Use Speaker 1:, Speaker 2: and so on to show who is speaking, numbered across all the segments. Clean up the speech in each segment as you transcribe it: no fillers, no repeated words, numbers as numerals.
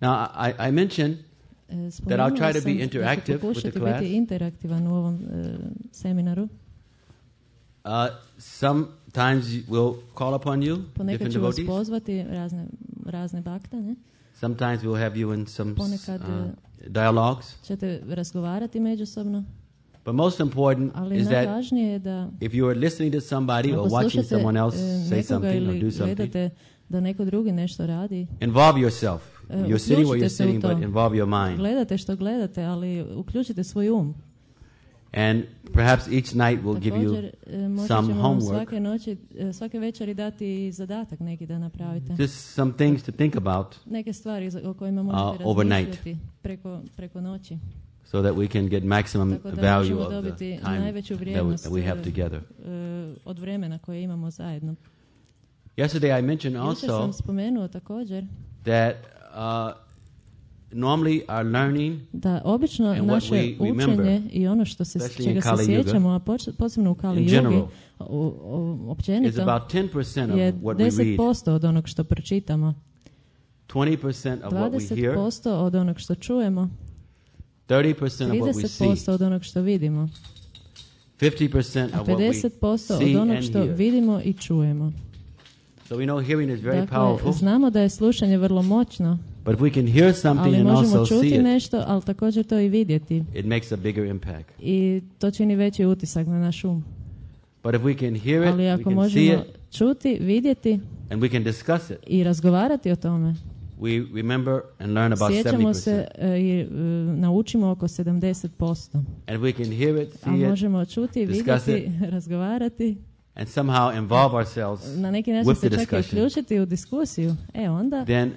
Speaker 1: Now, I mentioned that I'll try to be interactive with the class.
Speaker 2: Biti interaktivan u ovom seminaru.
Speaker 1: Sometimes we'll call upon you,
Speaker 2: Ponekad
Speaker 1: different
Speaker 2: ću vas
Speaker 1: devotees.
Speaker 2: pozvati razne bakte, ne?
Speaker 1: Sometimes we'll have you in some
Speaker 2: Ponekad
Speaker 1: dialogues.
Speaker 2: ćete razgovarati međusobno.
Speaker 1: But most important
Speaker 2: Ali
Speaker 1: is that
Speaker 2: najvažnije je da
Speaker 1: if you are listening to somebody or watching someone else say something or do something,
Speaker 2: gledate da neko drugi nešto radi,
Speaker 1: involve yourself. You're sitting where you're sitting, but involve your mind.
Speaker 2: Gledate što gledate, ali uključite svoj um.
Speaker 1: And perhaps each night we'll give you some homework.
Speaker 2: Svake večeri dati zadatak neki da napravite.
Speaker 1: Just some things to think about.
Speaker 2: Neke stvari o kojima možete razmišljati preko noći.
Speaker 1: So that we can get maximum value of the time that we have together.
Speaker 2: Od vremena koje imamo zajedno.
Speaker 1: Yesterday I mentioned
Speaker 2: Jučer
Speaker 1: also
Speaker 2: sam spomenuo također
Speaker 1: that normally our learning
Speaker 2: da obično naše učenje i ono što čega se sjećamo, a posebno u Kali Yugi, općenito, je 10% od onog što pročitamo, 20% od onog što čujemo, 30% od onog što vidimo, 50% od onog što vidimo i čujemo.
Speaker 1: So we know hearing is very
Speaker 2: dakle,
Speaker 1: powerful.
Speaker 2: Znamo da je slušanje vrlo moćno,
Speaker 1: but if we can hear something
Speaker 2: ali
Speaker 1: and
Speaker 2: možemo
Speaker 1: also
Speaker 2: čuti
Speaker 1: see it,
Speaker 2: nešto, ali također to i vidjeti.
Speaker 1: It makes a bigger impact.
Speaker 2: I to čini veći utisak na naš um.
Speaker 1: But if we can hear it,
Speaker 2: ali ako
Speaker 1: we can
Speaker 2: možemo
Speaker 1: see it,
Speaker 2: čuti, vidjeti
Speaker 1: and we can discuss it,
Speaker 2: i razgovarati o tome,
Speaker 1: we remember and learn about 70%.
Speaker 2: Sjećamo se i naučimo oko 70%.
Speaker 1: And we can hear it, see
Speaker 2: a možemo čuti, vidjeti, razgovarati.
Speaker 1: And somehow involve ourselves
Speaker 2: na neki način
Speaker 1: with the
Speaker 2: se čak
Speaker 1: discussion.
Speaker 2: Uključiti u diskusiju. Onda
Speaker 1: then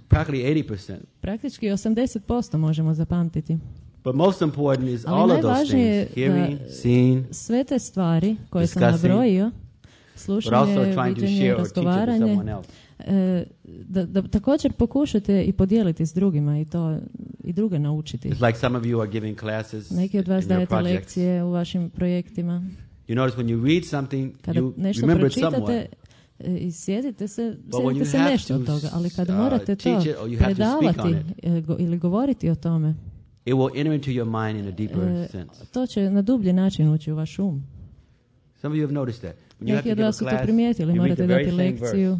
Speaker 1: practically 80%.
Speaker 2: Praktički 80% možemo zapamtiti.
Speaker 1: But most important is all of those things, hearing, seeing,
Speaker 2: sve te stvari koje sam nabrojio, slušanje, viđenje, razgovaranje, da također pokušate i podijeliti s drugima i to i druge naučiti.
Speaker 1: It's like some of you are giving classes.
Speaker 2: Neki od vas dajete lekcije u vašim projektima.
Speaker 1: You notice when you read something,
Speaker 2: kada
Speaker 1: you
Speaker 2: nešto
Speaker 1: remember it
Speaker 2: pročitate i sjetite se nešto od toga, ali kad morate to predavati ili govoriti o tome,
Speaker 1: it will enter into your mind in a deeper sense.
Speaker 2: To će na dublji način ući u vaš um.
Speaker 1: Some of you have noticed that.
Speaker 2: Neki od vas su to primijetili, morate dati lekciju.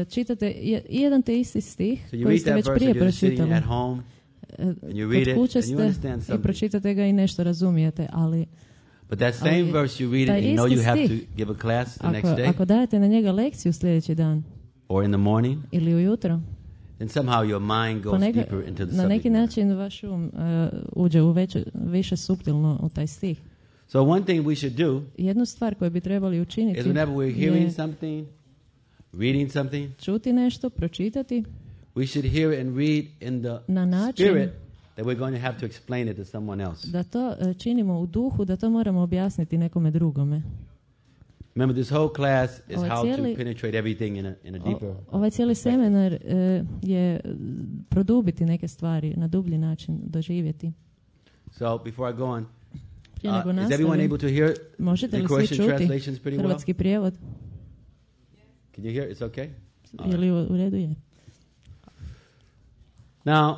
Speaker 2: Čitate jedan te isti stih koji ste već prije pročitali. Kod kuće ste i pročitate ga i nešto razumijete, ali
Speaker 1: but that same verse you read it and you know you have to give a class the next day.
Speaker 2: Ako dajete na njega lekciju sljedeći dan
Speaker 1: or in the morning
Speaker 2: ili ujutro,
Speaker 1: then somehow your mind goes deeper into the
Speaker 2: na neki način vaš um uđe u više suptilno u taj stih.
Speaker 1: So one thing we should do,
Speaker 2: jednu stvar koju bi trebali učiniti,
Speaker 1: is whenever we're hearing something, reading something,
Speaker 2: čuti nešto, pročitati,
Speaker 1: we should hear it and read in the spirit that we're going to have to explain it to someone else.
Speaker 2: Da to činimo u duhu, da to moramo objasniti nekome drugome.
Speaker 1: Remember, this whole class is how to penetrate everything in a deeper.
Speaker 2: Ovaj cijeli seminar je produbiti neke stvari na dublji način, doživjeti.
Speaker 1: So before I go on,
Speaker 2: is
Speaker 1: everyone able to hear the Croatian translations pretty well?
Speaker 2: Hrvatski prijevod.
Speaker 1: Can you hear? It's okay?
Speaker 2: Je li u redu je?
Speaker 1: Now,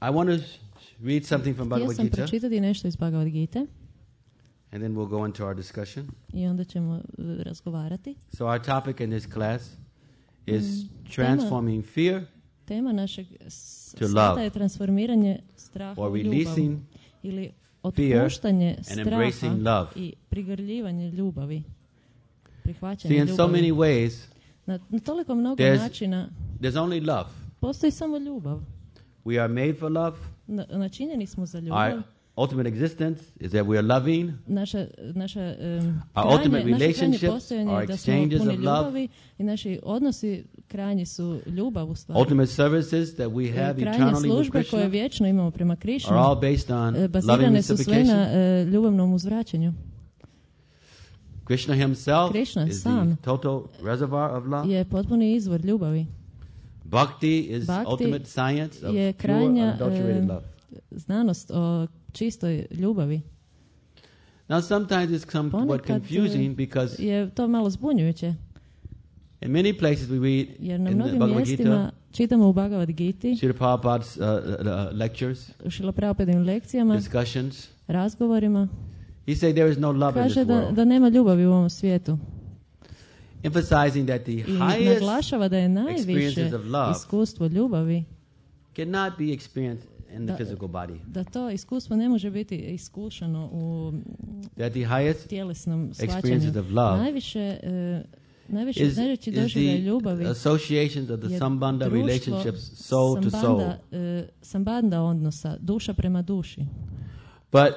Speaker 1: I want to read something from Bhagavad Gita.
Speaker 2: Htio sam pročitati nešto iz Bhagavad Gita.
Speaker 1: And then we'll go into our discussion.
Speaker 2: I onda ćemo razgovarati.
Speaker 1: So our topic in this class is transforming fear
Speaker 2: tema našeg sveta je transformiranje straha u ljubav. Ili otpuštanje straha i prigrljivanje ljubavi. Prihvaćanje ljubavi.
Speaker 1: In so many ways,
Speaker 2: na toliko mnogo načina
Speaker 1: there's only love.
Speaker 2: Postoji samo ljubav.
Speaker 1: We are made for love.
Speaker 2: Načinjeni smo za ljubav.
Speaker 1: Our ultimate existence is that we are loving.
Speaker 2: Our ultimate relationships are exchanges of love. I naši odnosi krajnji su ljubav u stvari.
Speaker 1: Ultimate services that we have eternally with Krishna
Speaker 2: koje vječno imamo prema Krishnu
Speaker 1: are all based on
Speaker 2: bazirane su sve na ljubavnom uzvraćanju.
Speaker 1: Krishna himself is the total reservoir of love.
Speaker 2: Je potpuni izvor ljubavi.
Speaker 1: Bhakti is ultimate science of pure unadulterated love.
Speaker 2: Znanost o čistoj ljubavi.
Speaker 1: Now sometimes it's somewhat confusing because
Speaker 2: je to malo zbunjujuće.
Speaker 1: In many places we read
Speaker 2: jer na
Speaker 1: in the
Speaker 2: mnogim
Speaker 1: Bhagavad
Speaker 2: mjestima
Speaker 1: Gita,
Speaker 2: čitamo u Bhagavad Giti,
Speaker 1: Srila Prabhupada's lectures,
Speaker 2: Srila Prabhupadinim lekcijama,
Speaker 1: discussions.
Speaker 2: razgovorima,
Speaker 1: He said there is no love in this
Speaker 2: kaže
Speaker 1: world.
Speaker 2: da nema ljubavi u ovom svijetu.
Speaker 1: Emphasizing that the
Speaker 2: I
Speaker 1: highest
Speaker 2: naglašava da je najviše
Speaker 1: experiences of love
Speaker 2: iskustvo ljubavi,
Speaker 1: cannot be experienced in the physical body.
Speaker 2: da to iskustvo ne može biti iskušano u
Speaker 1: That the highest
Speaker 2: tjelesnom
Speaker 1: experiences
Speaker 2: shvaćanju.
Speaker 1: of love
Speaker 2: Najveći doživljaj ljubavi
Speaker 1: associations of the sambandha
Speaker 2: društvo
Speaker 1: relationships, soul to soul.
Speaker 2: Sambandha odnosa, duša prema duši.
Speaker 1: But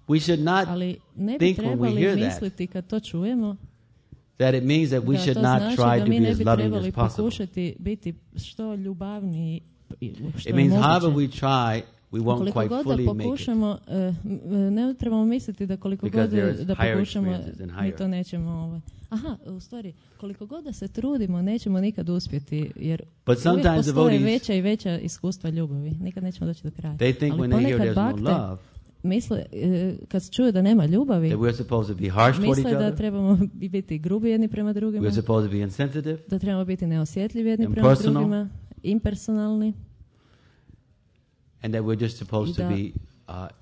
Speaker 1: we should not
Speaker 2: Ali ne bi
Speaker 1: think when we
Speaker 2: trebali
Speaker 1: hear that,
Speaker 2: misliti kad to čujemo,
Speaker 1: that it means that we
Speaker 2: da
Speaker 1: should
Speaker 2: to
Speaker 1: not
Speaker 2: znači
Speaker 1: try
Speaker 2: da
Speaker 1: to
Speaker 2: mi
Speaker 1: be
Speaker 2: ne
Speaker 1: as
Speaker 2: bi
Speaker 1: loving
Speaker 2: trebali
Speaker 1: as possible.
Speaker 2: pokušati biti što ljubavniji što
Speaker 1: It
Speaker 2: je
Speaker 1: means however
Speaker 2: moguće.
Speaker 1: we try, we won't
Speaker 2: Koliko
Speaker 1: quite
Speaker 2: god
Speaker 1: fully
Speaker 2: da
Speaker 1: make it.
Speaker 2: pokušamo, ne trebamo misliti da koliko
Speaker 1: Because
Speaker 2: god
Speaker 1: there is
Speaker 2: da
Speaker 1: higher
Speaker 2: pokušamo,
Speaker 1: experiences and
Speaker 2: mi
Speaker 1: higher.
Speaker 2: to nećemo. Aha, u stvari, koliko god da se trudimo, nećemo nikad uspjeti, jer
Speaker 1: But
Speaker 2: uvijek
Speaker 1: sometimes
Speaker 2: postoje
Speaker 1: devotees-
Speaker 2: veća i veća iskustva ljubavi. Nikad nećemo doći do kraja.
Speaker 1: They think
Speaker 2: Ali
Speaker 1: when they hear
Speaker 2: ponekad
Speaker 1: there's no
Speaker 2: bakte
Speaker 1: love,
Speaker 2: misle, kad čuju da nema ljubavi,
Speaker 1: that we're supposed to be harsh toward
Speaker 2: misle
Speaker 1: each
Speaker 2: da
Speaker 1: other,
Speaker 2: trebamo biti grubi jedni prema drugima,
Speaker 1: we're supposed to be insensitive,
Speaker 2: da trebamo biti neosjetljivi jedni prema
Speaker 1: impersonal,
Speaker 2: drugima, impersonalni,
Speaker 1: and that we're just supposed to
Speaker 2: da
Speaker 1: be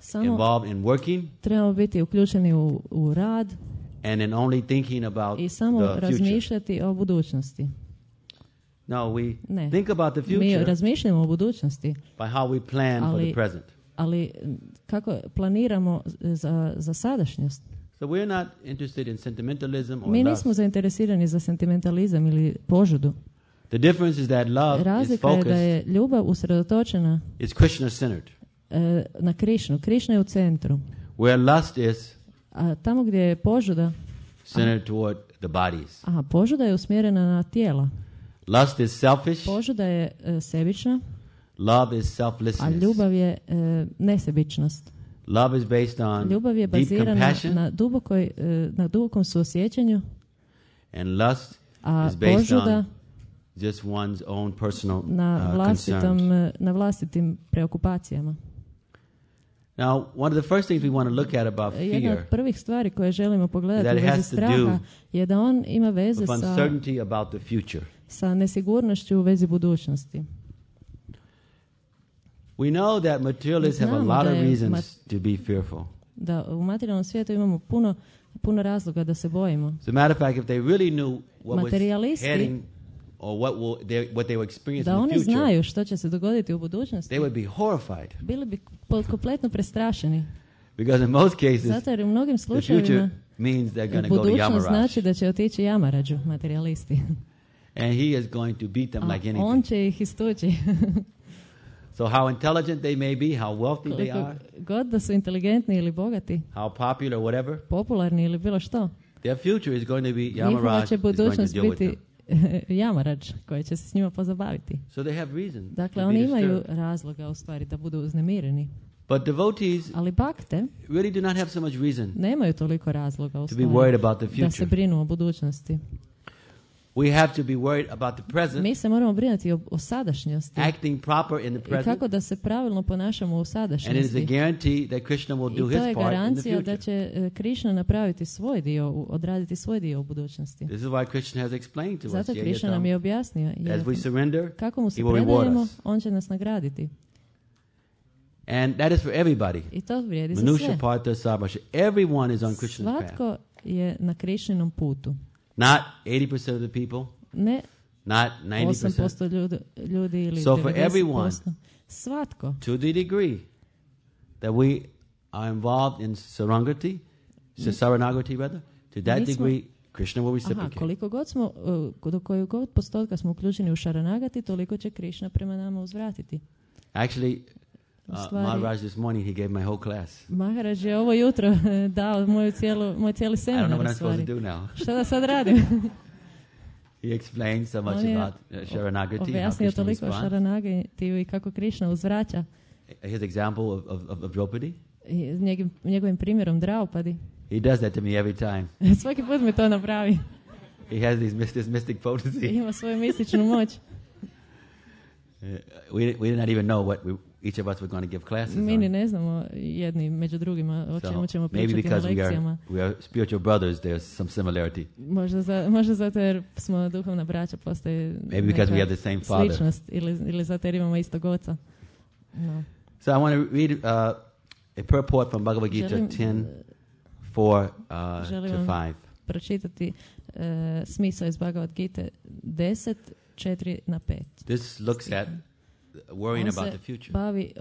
Speaker 2: samo
Speaker 1: involved in working
Speaker 2: trebamo biti uključeni u rad
Speaker 1: and in only thinking about
Speaker 2: i samo
Speaker 1: the future.
Speaker 2: razmišljati o budućnosti.
Speaker 1: No, we
Speaker 2: Ne.
Speaker 1: think about the
Speaker 2: Mi
Speaker 1: future
Speaker 2: razmišljamo o budućnosti,
Speaker 1: by how we plan for the
Speaker 2: Ali-
Speaker 1: present.
Speaker 2: ali kako planiramo za sadašnjost.
Speaker 1: So we're not interested in sentimentalism or
Speaker 2: Mi
Speaker 1: lust.
Speaker 2: nismo zainteresirani za sentimentalizam ili požudu.
Speaker 1: The difference is that love is
Speaker 2: Razlika je da
Speaker 1: focused,
Speaker 2: je ljubav usredotočena
Speaker 1: is Krishna-centered.
Speaker 2: Na Krišnu. Krišna je u centru.
Speaker 1: Where lust is
Speaker 2: A tamo gdje je požuda,
Speaker 1: centered toward the bodies.
Speaker 2: požuda je usmjerena na tijela.
Speaker 1: Lust is selfish.
Speaker 2: Požuda je sebična,
Speaker 1: Love is
Speaker 2: a
Speaker 1: selflessness.
Speaker 2: ljubav je nesebičnost.
Speaker 1: Love is based on
Speaker 2: Ljubav je
Speaker 1: deep
Speaker 2: bazirana
Speaker 1: compassion,
Speaker 2: na dubokom suosjećanju,
Speaker 1: and lust
Speaker 2: a
Speaker 1: is based
Speaker 2: požuda
Speaker 1: on just one's own personal
Speaker 2: na
Speaker 1: concerns.
Speaker 2: vlastitim preokupacijama.
Speaker 1: Now, one of the first things we want to look at about
Speaker 2: Jedna od
Speaker 1: fear
Speaker 2: prvih stvari koje želimo pogledati
Speaker 1: that
Speaker 2: u
Speaker 1: it
Speaker 2: vezi
Speaker 1: has to
Speaker 2: straha
Speaker 1: do
Speaker 2: je da on ima veze
Speaker 1: with uncertainty about the future.
Speaker 2: sa nesigurnošću u vezi budućnosti.
Speaker 1: We know that materialists have a
Speaker 2: Znamo
Speaker 1: lot
Speaker 2: da
Speaker 1: of
Speaker 2: je
Speaker 1: reasons to be fearful.
Speaker 2: Da u materijalnom svijetu imamo puno razloga da se bojimo.
Speaker 1: As a matter of fact, if they really knew what was
Speaker 2: Materialisti,
Speaker 1: heading or what they were experiencing
Speaker 2: da
Speaker 1: in
Speaker 2: oni
Speaker 1: the future,
Speaker 2: znaju što će se dogoditi u budućnosti,
Speaker 1: they would be horrified.
Speaker 2: bili bi kompletno prestrašeni.
Speaker 1: Because in most cases,
Speaker 2: Zato jer u mnogim
Speaker 1: the future
Speaker 2: slučajevima
Speaker 1: means they're going to go to
Speaker 2: budućnost znači
Speaker 1: Yamaraj.
Speaker 2: da će otići Jamarađu, materialisti.
Speaker 1: And he is going to beat them like
Speaker 2: A on
Speaker 1: anything.
Speaker 2: će ih istući.
Speaker 1: So how intelligent they may be, how wealthy they
Speaker 2: Koliko
Speaker 1: are,
Speaker 2: god da su inteligentni ili bogati,
Speaker 1: how popular, whatever,
Speaker 2: popularni ili bilo što,
Speaker 1: their future is going to be
Speaker 2: njihova
Speaker 1: Yamaraj
Speaker 2: će
Speaker 1: is going to
Speaker 2: budućnost
Speaker 1: deal with
Speaker 2: biti
Speaker 1: them.
Speaker 2: Jamarađ koji će se s njima pozabaviti.
Speaker 1: So they have reason
Speaker 2: Dakle,
Speaker 1: to
Speaker 2: oni
Speaker 1: be
Speaker 2: imaju
Speaker 1: disturbed.
Speaker 2: razloga u stvari da budu uznemireni.
Speaker 1: But devotees
Speaker 2: Ali bakte
Speaker 1: really do not have so much reason
Speaker 2: nemaju toliko razloga u
Speaker 1: to be
Speaker 2: stvari
Speaker 1: worried about the
Speaker 2: da se
Speaker 1: future.
Speaker 2: brinu o budućnosti.
Speaker 1: We have to be worried about the present,
Speaker 2: Mi se moramo brinuti o sadašnjosti
Speaker 1: acting proper in the
Speaker 2: i
Speaker 1: present,
Speaker 2: kako da se pravilno ponašamo u
Speaker 1: and it is a
Speaker 2: sadašnjosti.
Speaker 1: guarantee that Krishna will
Speaker 2: I
Speaker 1: do
Speaker 2: to
Speaker 1: his
Speaker 2: je
Speaker 1: part in the
Speaker 2: garancija da
Speaker 1: future.
Speaker 2: će Krišna napraviti svoj dio, odraditi svoj dio u budućnosti.
Speaker 1: This is why Krishna has explained to us.
Speaker 2: Zato Krišna nam je objasnio, jer
Speaker 1: As we surrender,
Speaker 2: kako mu se
Speaker 1: he will reward
Speaker 2: predajemo,
Speaker 1: us.
Speaker 2: on će nas nagraditi.
Speaker 1: And that is for everybody.
Speaker 2: I to vrijedi za
Speaker 1: Manusha,
Speaker 2: sve.
Speaker 1: Partha, Sarvasha. Everyone is on Krishna's path.
Speaker 2: Svatko je na Krišninom putu.
Speaker 1: Not 80% of the people,
Speaker 2: Ne
Speaker 1: not 90%.
Speaker 2: 8% ljudi ili
Speaker 1: So for
Speaker 2: 90%.
Speaker 1: everyone,
Speaker 2: Svatko.
Speaker 1: to the degree that we are involved in Sarangati, Saranagati rather, to that
Speaker 2: Mi smo-
Speaker 1: degree, Krishna will
Speaker 2: Aha,
Speaker 1: reciprocate.
Speaker 2: koliko god smo, do kojeg god postotka smo uključeni u Šaranagati, toliko će Krišna prema nama uzvratiti.
Speaker 1: Actually,
Speaker 2: U stvari-
Speaker 1: Maharaj this morning, he gave my whole class.
Speaker 2: Maharaj je ovo jutro dao moj cijeli
Speaker 1: I don't know
Speaker 2: seminar
Speaker 1: what
Speaker 2: u
Speaker 1: I'm supposed
Speaker 2: stvari.
Speaker 1: to do now.
Speaker 2: Šta da sad radim?
Speaker 1: He explained so much
Speaker 2: On je
Speaker 1: about Sharanagati, how
Speaker 2: objasnio
Speaker 1: Krishna
Speaker 2: toliko o
Speaker 1: responds.
Speaker 2: Šaranagati i kako Krišna uzvraća.
Speaker 1: His example of Draupadi,
Speaker 2: I njegovim primjerom Draupadi.
Speaker 1: he does that to me every time.
Speaker 2: Svaki put mi to napravi.
Speaker 1: He has this mystic potency.
Speaker 2: Ima svoju mističnu moć.
Speaker 1: We did not even know what each of us were going to give classes on.
Speaker 2: Mi ni ne znamo jedni među drugima o čemu ćemo pričati na lekcijama.
Speaker 1: We are spiritual brothers, there's some similarity.
Speaker 2: Možda zato jer smo duhovna braća, postoji neka sličnost ili zato jer imamo istog oca. No.
Speaker 1: So I want to read a purport from Bhagavad Gita 10:4 to 5.
Speaker 2: Pročitati smisao iz Bhagavad Gite 10:4-5.
Speaker 1: This looks at worrying about the future.
Speaker 2: Bavi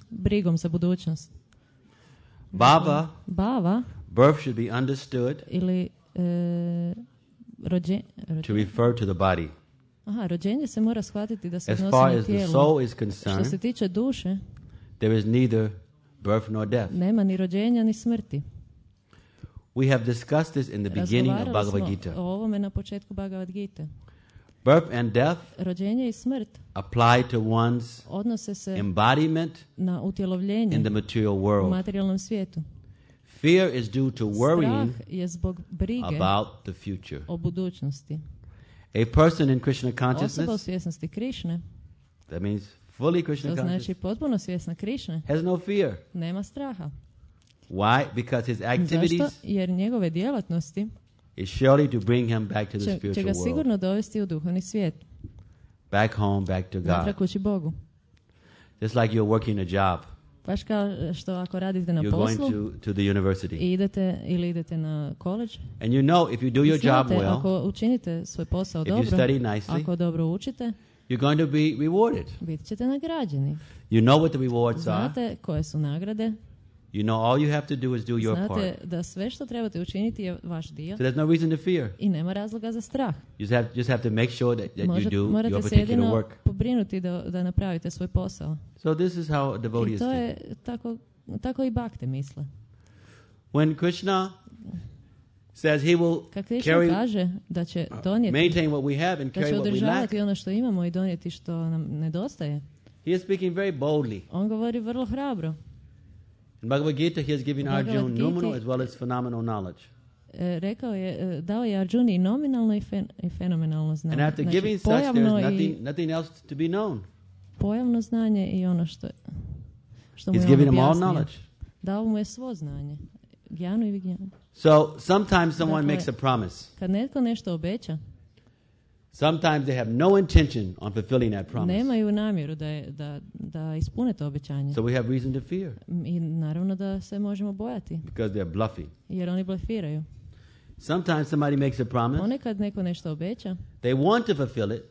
Speaker 2: brigom za budućnost.
Speaker 1: Bhava, birth should be understood
Speaker 2: ili
Speaker 1: to refer to the body.
Speaker 2: Rođenje se mora shvatiti da se
Speaker 1: odnosi
Speaker 2: na tijelo.
Speaker 1: As far as the soul is concerned,
Speaker 2: što se tiče duše,
Speaker 1: there is neither birth nor death.
Speaker 2: Nema ni rođenja ni smrti.
Speaker 1: We have discussed this in the beginning of Bhagavad Gita.
Speaker 2: O ovome na početku Bhagavad Gite.
Speaker 1: Birth and death
Speaker 2: rođenje i smrt
Speaker 1: apply to one's
Speaker 2: odnose se
Speaker 1: embodiment
Speaker 2: na utjelovljenje
Speaker 1: in the material world.
Speaker 2: U materijalnom svijetu.
Speaker 1: Fear is due to worrying
Speaker 2: je zbog brige
Speaker 1: about the future.
Speaker 2: O budućnosti.
Speaker 1: A person in Krishna consciousness,
Speaker 2: osoba u svjesnosti Krišne,
Speaker 1: that means fully Krishna
Speaker 2: to
Speaker 1: conscious,
Speaker 2: znači potpuno svjesna Krišne,
Speaker 1: has no fear.
Speaker 2: Nema straha.
Speaker 1: Why? Because his activities
Speaker 2: zašto? Jer njegove djelatnosti
Speaker 1: is surely to bring him back to the spiritual
Speaker 2: će ga
Speaker 1: world.
Speaker 2: sigurno dovesti u duhovni svijet.
Speaker 1: Back home, back to God.
Speaker 2: Natrag kući Bogu.
Speaker 1: Just like you're working a job.
Speaker 2: Baš kao što ako radite na
Speaker 1: you're
Speaker 2: poslu
Speaker 1: going to the university.
Speaker 2: I idete na college.
Speaker 1: And you know if you do your job well,
Speaker 2: ako učinite svoj posao dobro,
Speaker 1: nicely,
Speaker 2: ako dobro učite,
Speaker 1: you're going to be rewarded.
Speaker 2: Bit ćete nagrađeni.
Speaker 1: You know what the rewards
Speaker 2: Znate koje su nagrade.
Speaker 1: You know all you have to do is do your part.
Speaker 2: Znate da sve što trebate učiniti je vaš dio.
Speaker 1: So there's no reason to fear.
Speaker 2: I nema razloga za strah.
Speaker 1: You just have to make sure that you do your particular work.
Speaker 2: Morate se jedino pobrinuti da napravite svoj posao.
Speaker 1: So this is how devotees
Speaker 2: think. I to je tako i bakte misle.
Speaker 1: When Krishna says he will
Speaker 2: kaže da će donijeti,
Speaker 1: maintain what we have and carry what we lack,
Speaker 2: da će održavati ono što imamo i donijeti što nam nedostaje.
Speaker 1: He is speaking very boldly.
Speaker 2: On govori vrlo hrabro.
Speaker 1: In Bhagavad Gita he has given Arjuna nominal as well as phenomenal knowledge.
Speaker 2: Rekao je, dao je Arjuni nominalno i fenomenalno znanje.
Speaker 1: And after giving such, there's nothing else to be known.
Speaker 2: Pojavno znanje i ono što mu je
Speaker 1: He's given him all knowledge.
Speaker 2: Dao mu je svo znanje. Gjanu i vigijanu.
Speaker 1: So sometimes someone makes a promise.
Speaker 2: Kad netko nešto obeća,
Speaker 1: sometimes they have no intention on fulfilling that promise.
Speaker 2: Nemaju namjeru da ispune to obećanje.
Speaker 1: So we have reason to fear.
Speaker 2: I naravno da se možemo bojati.
Speaker 1: Because they're bluffing.
Speaker 2: Jer oni blefiraju.
Speaker 1: Sometimes somebody makes a promise.
Speaker 2: Ponekad neko nešto obeća.
Speaker 1: They want to fulfill it.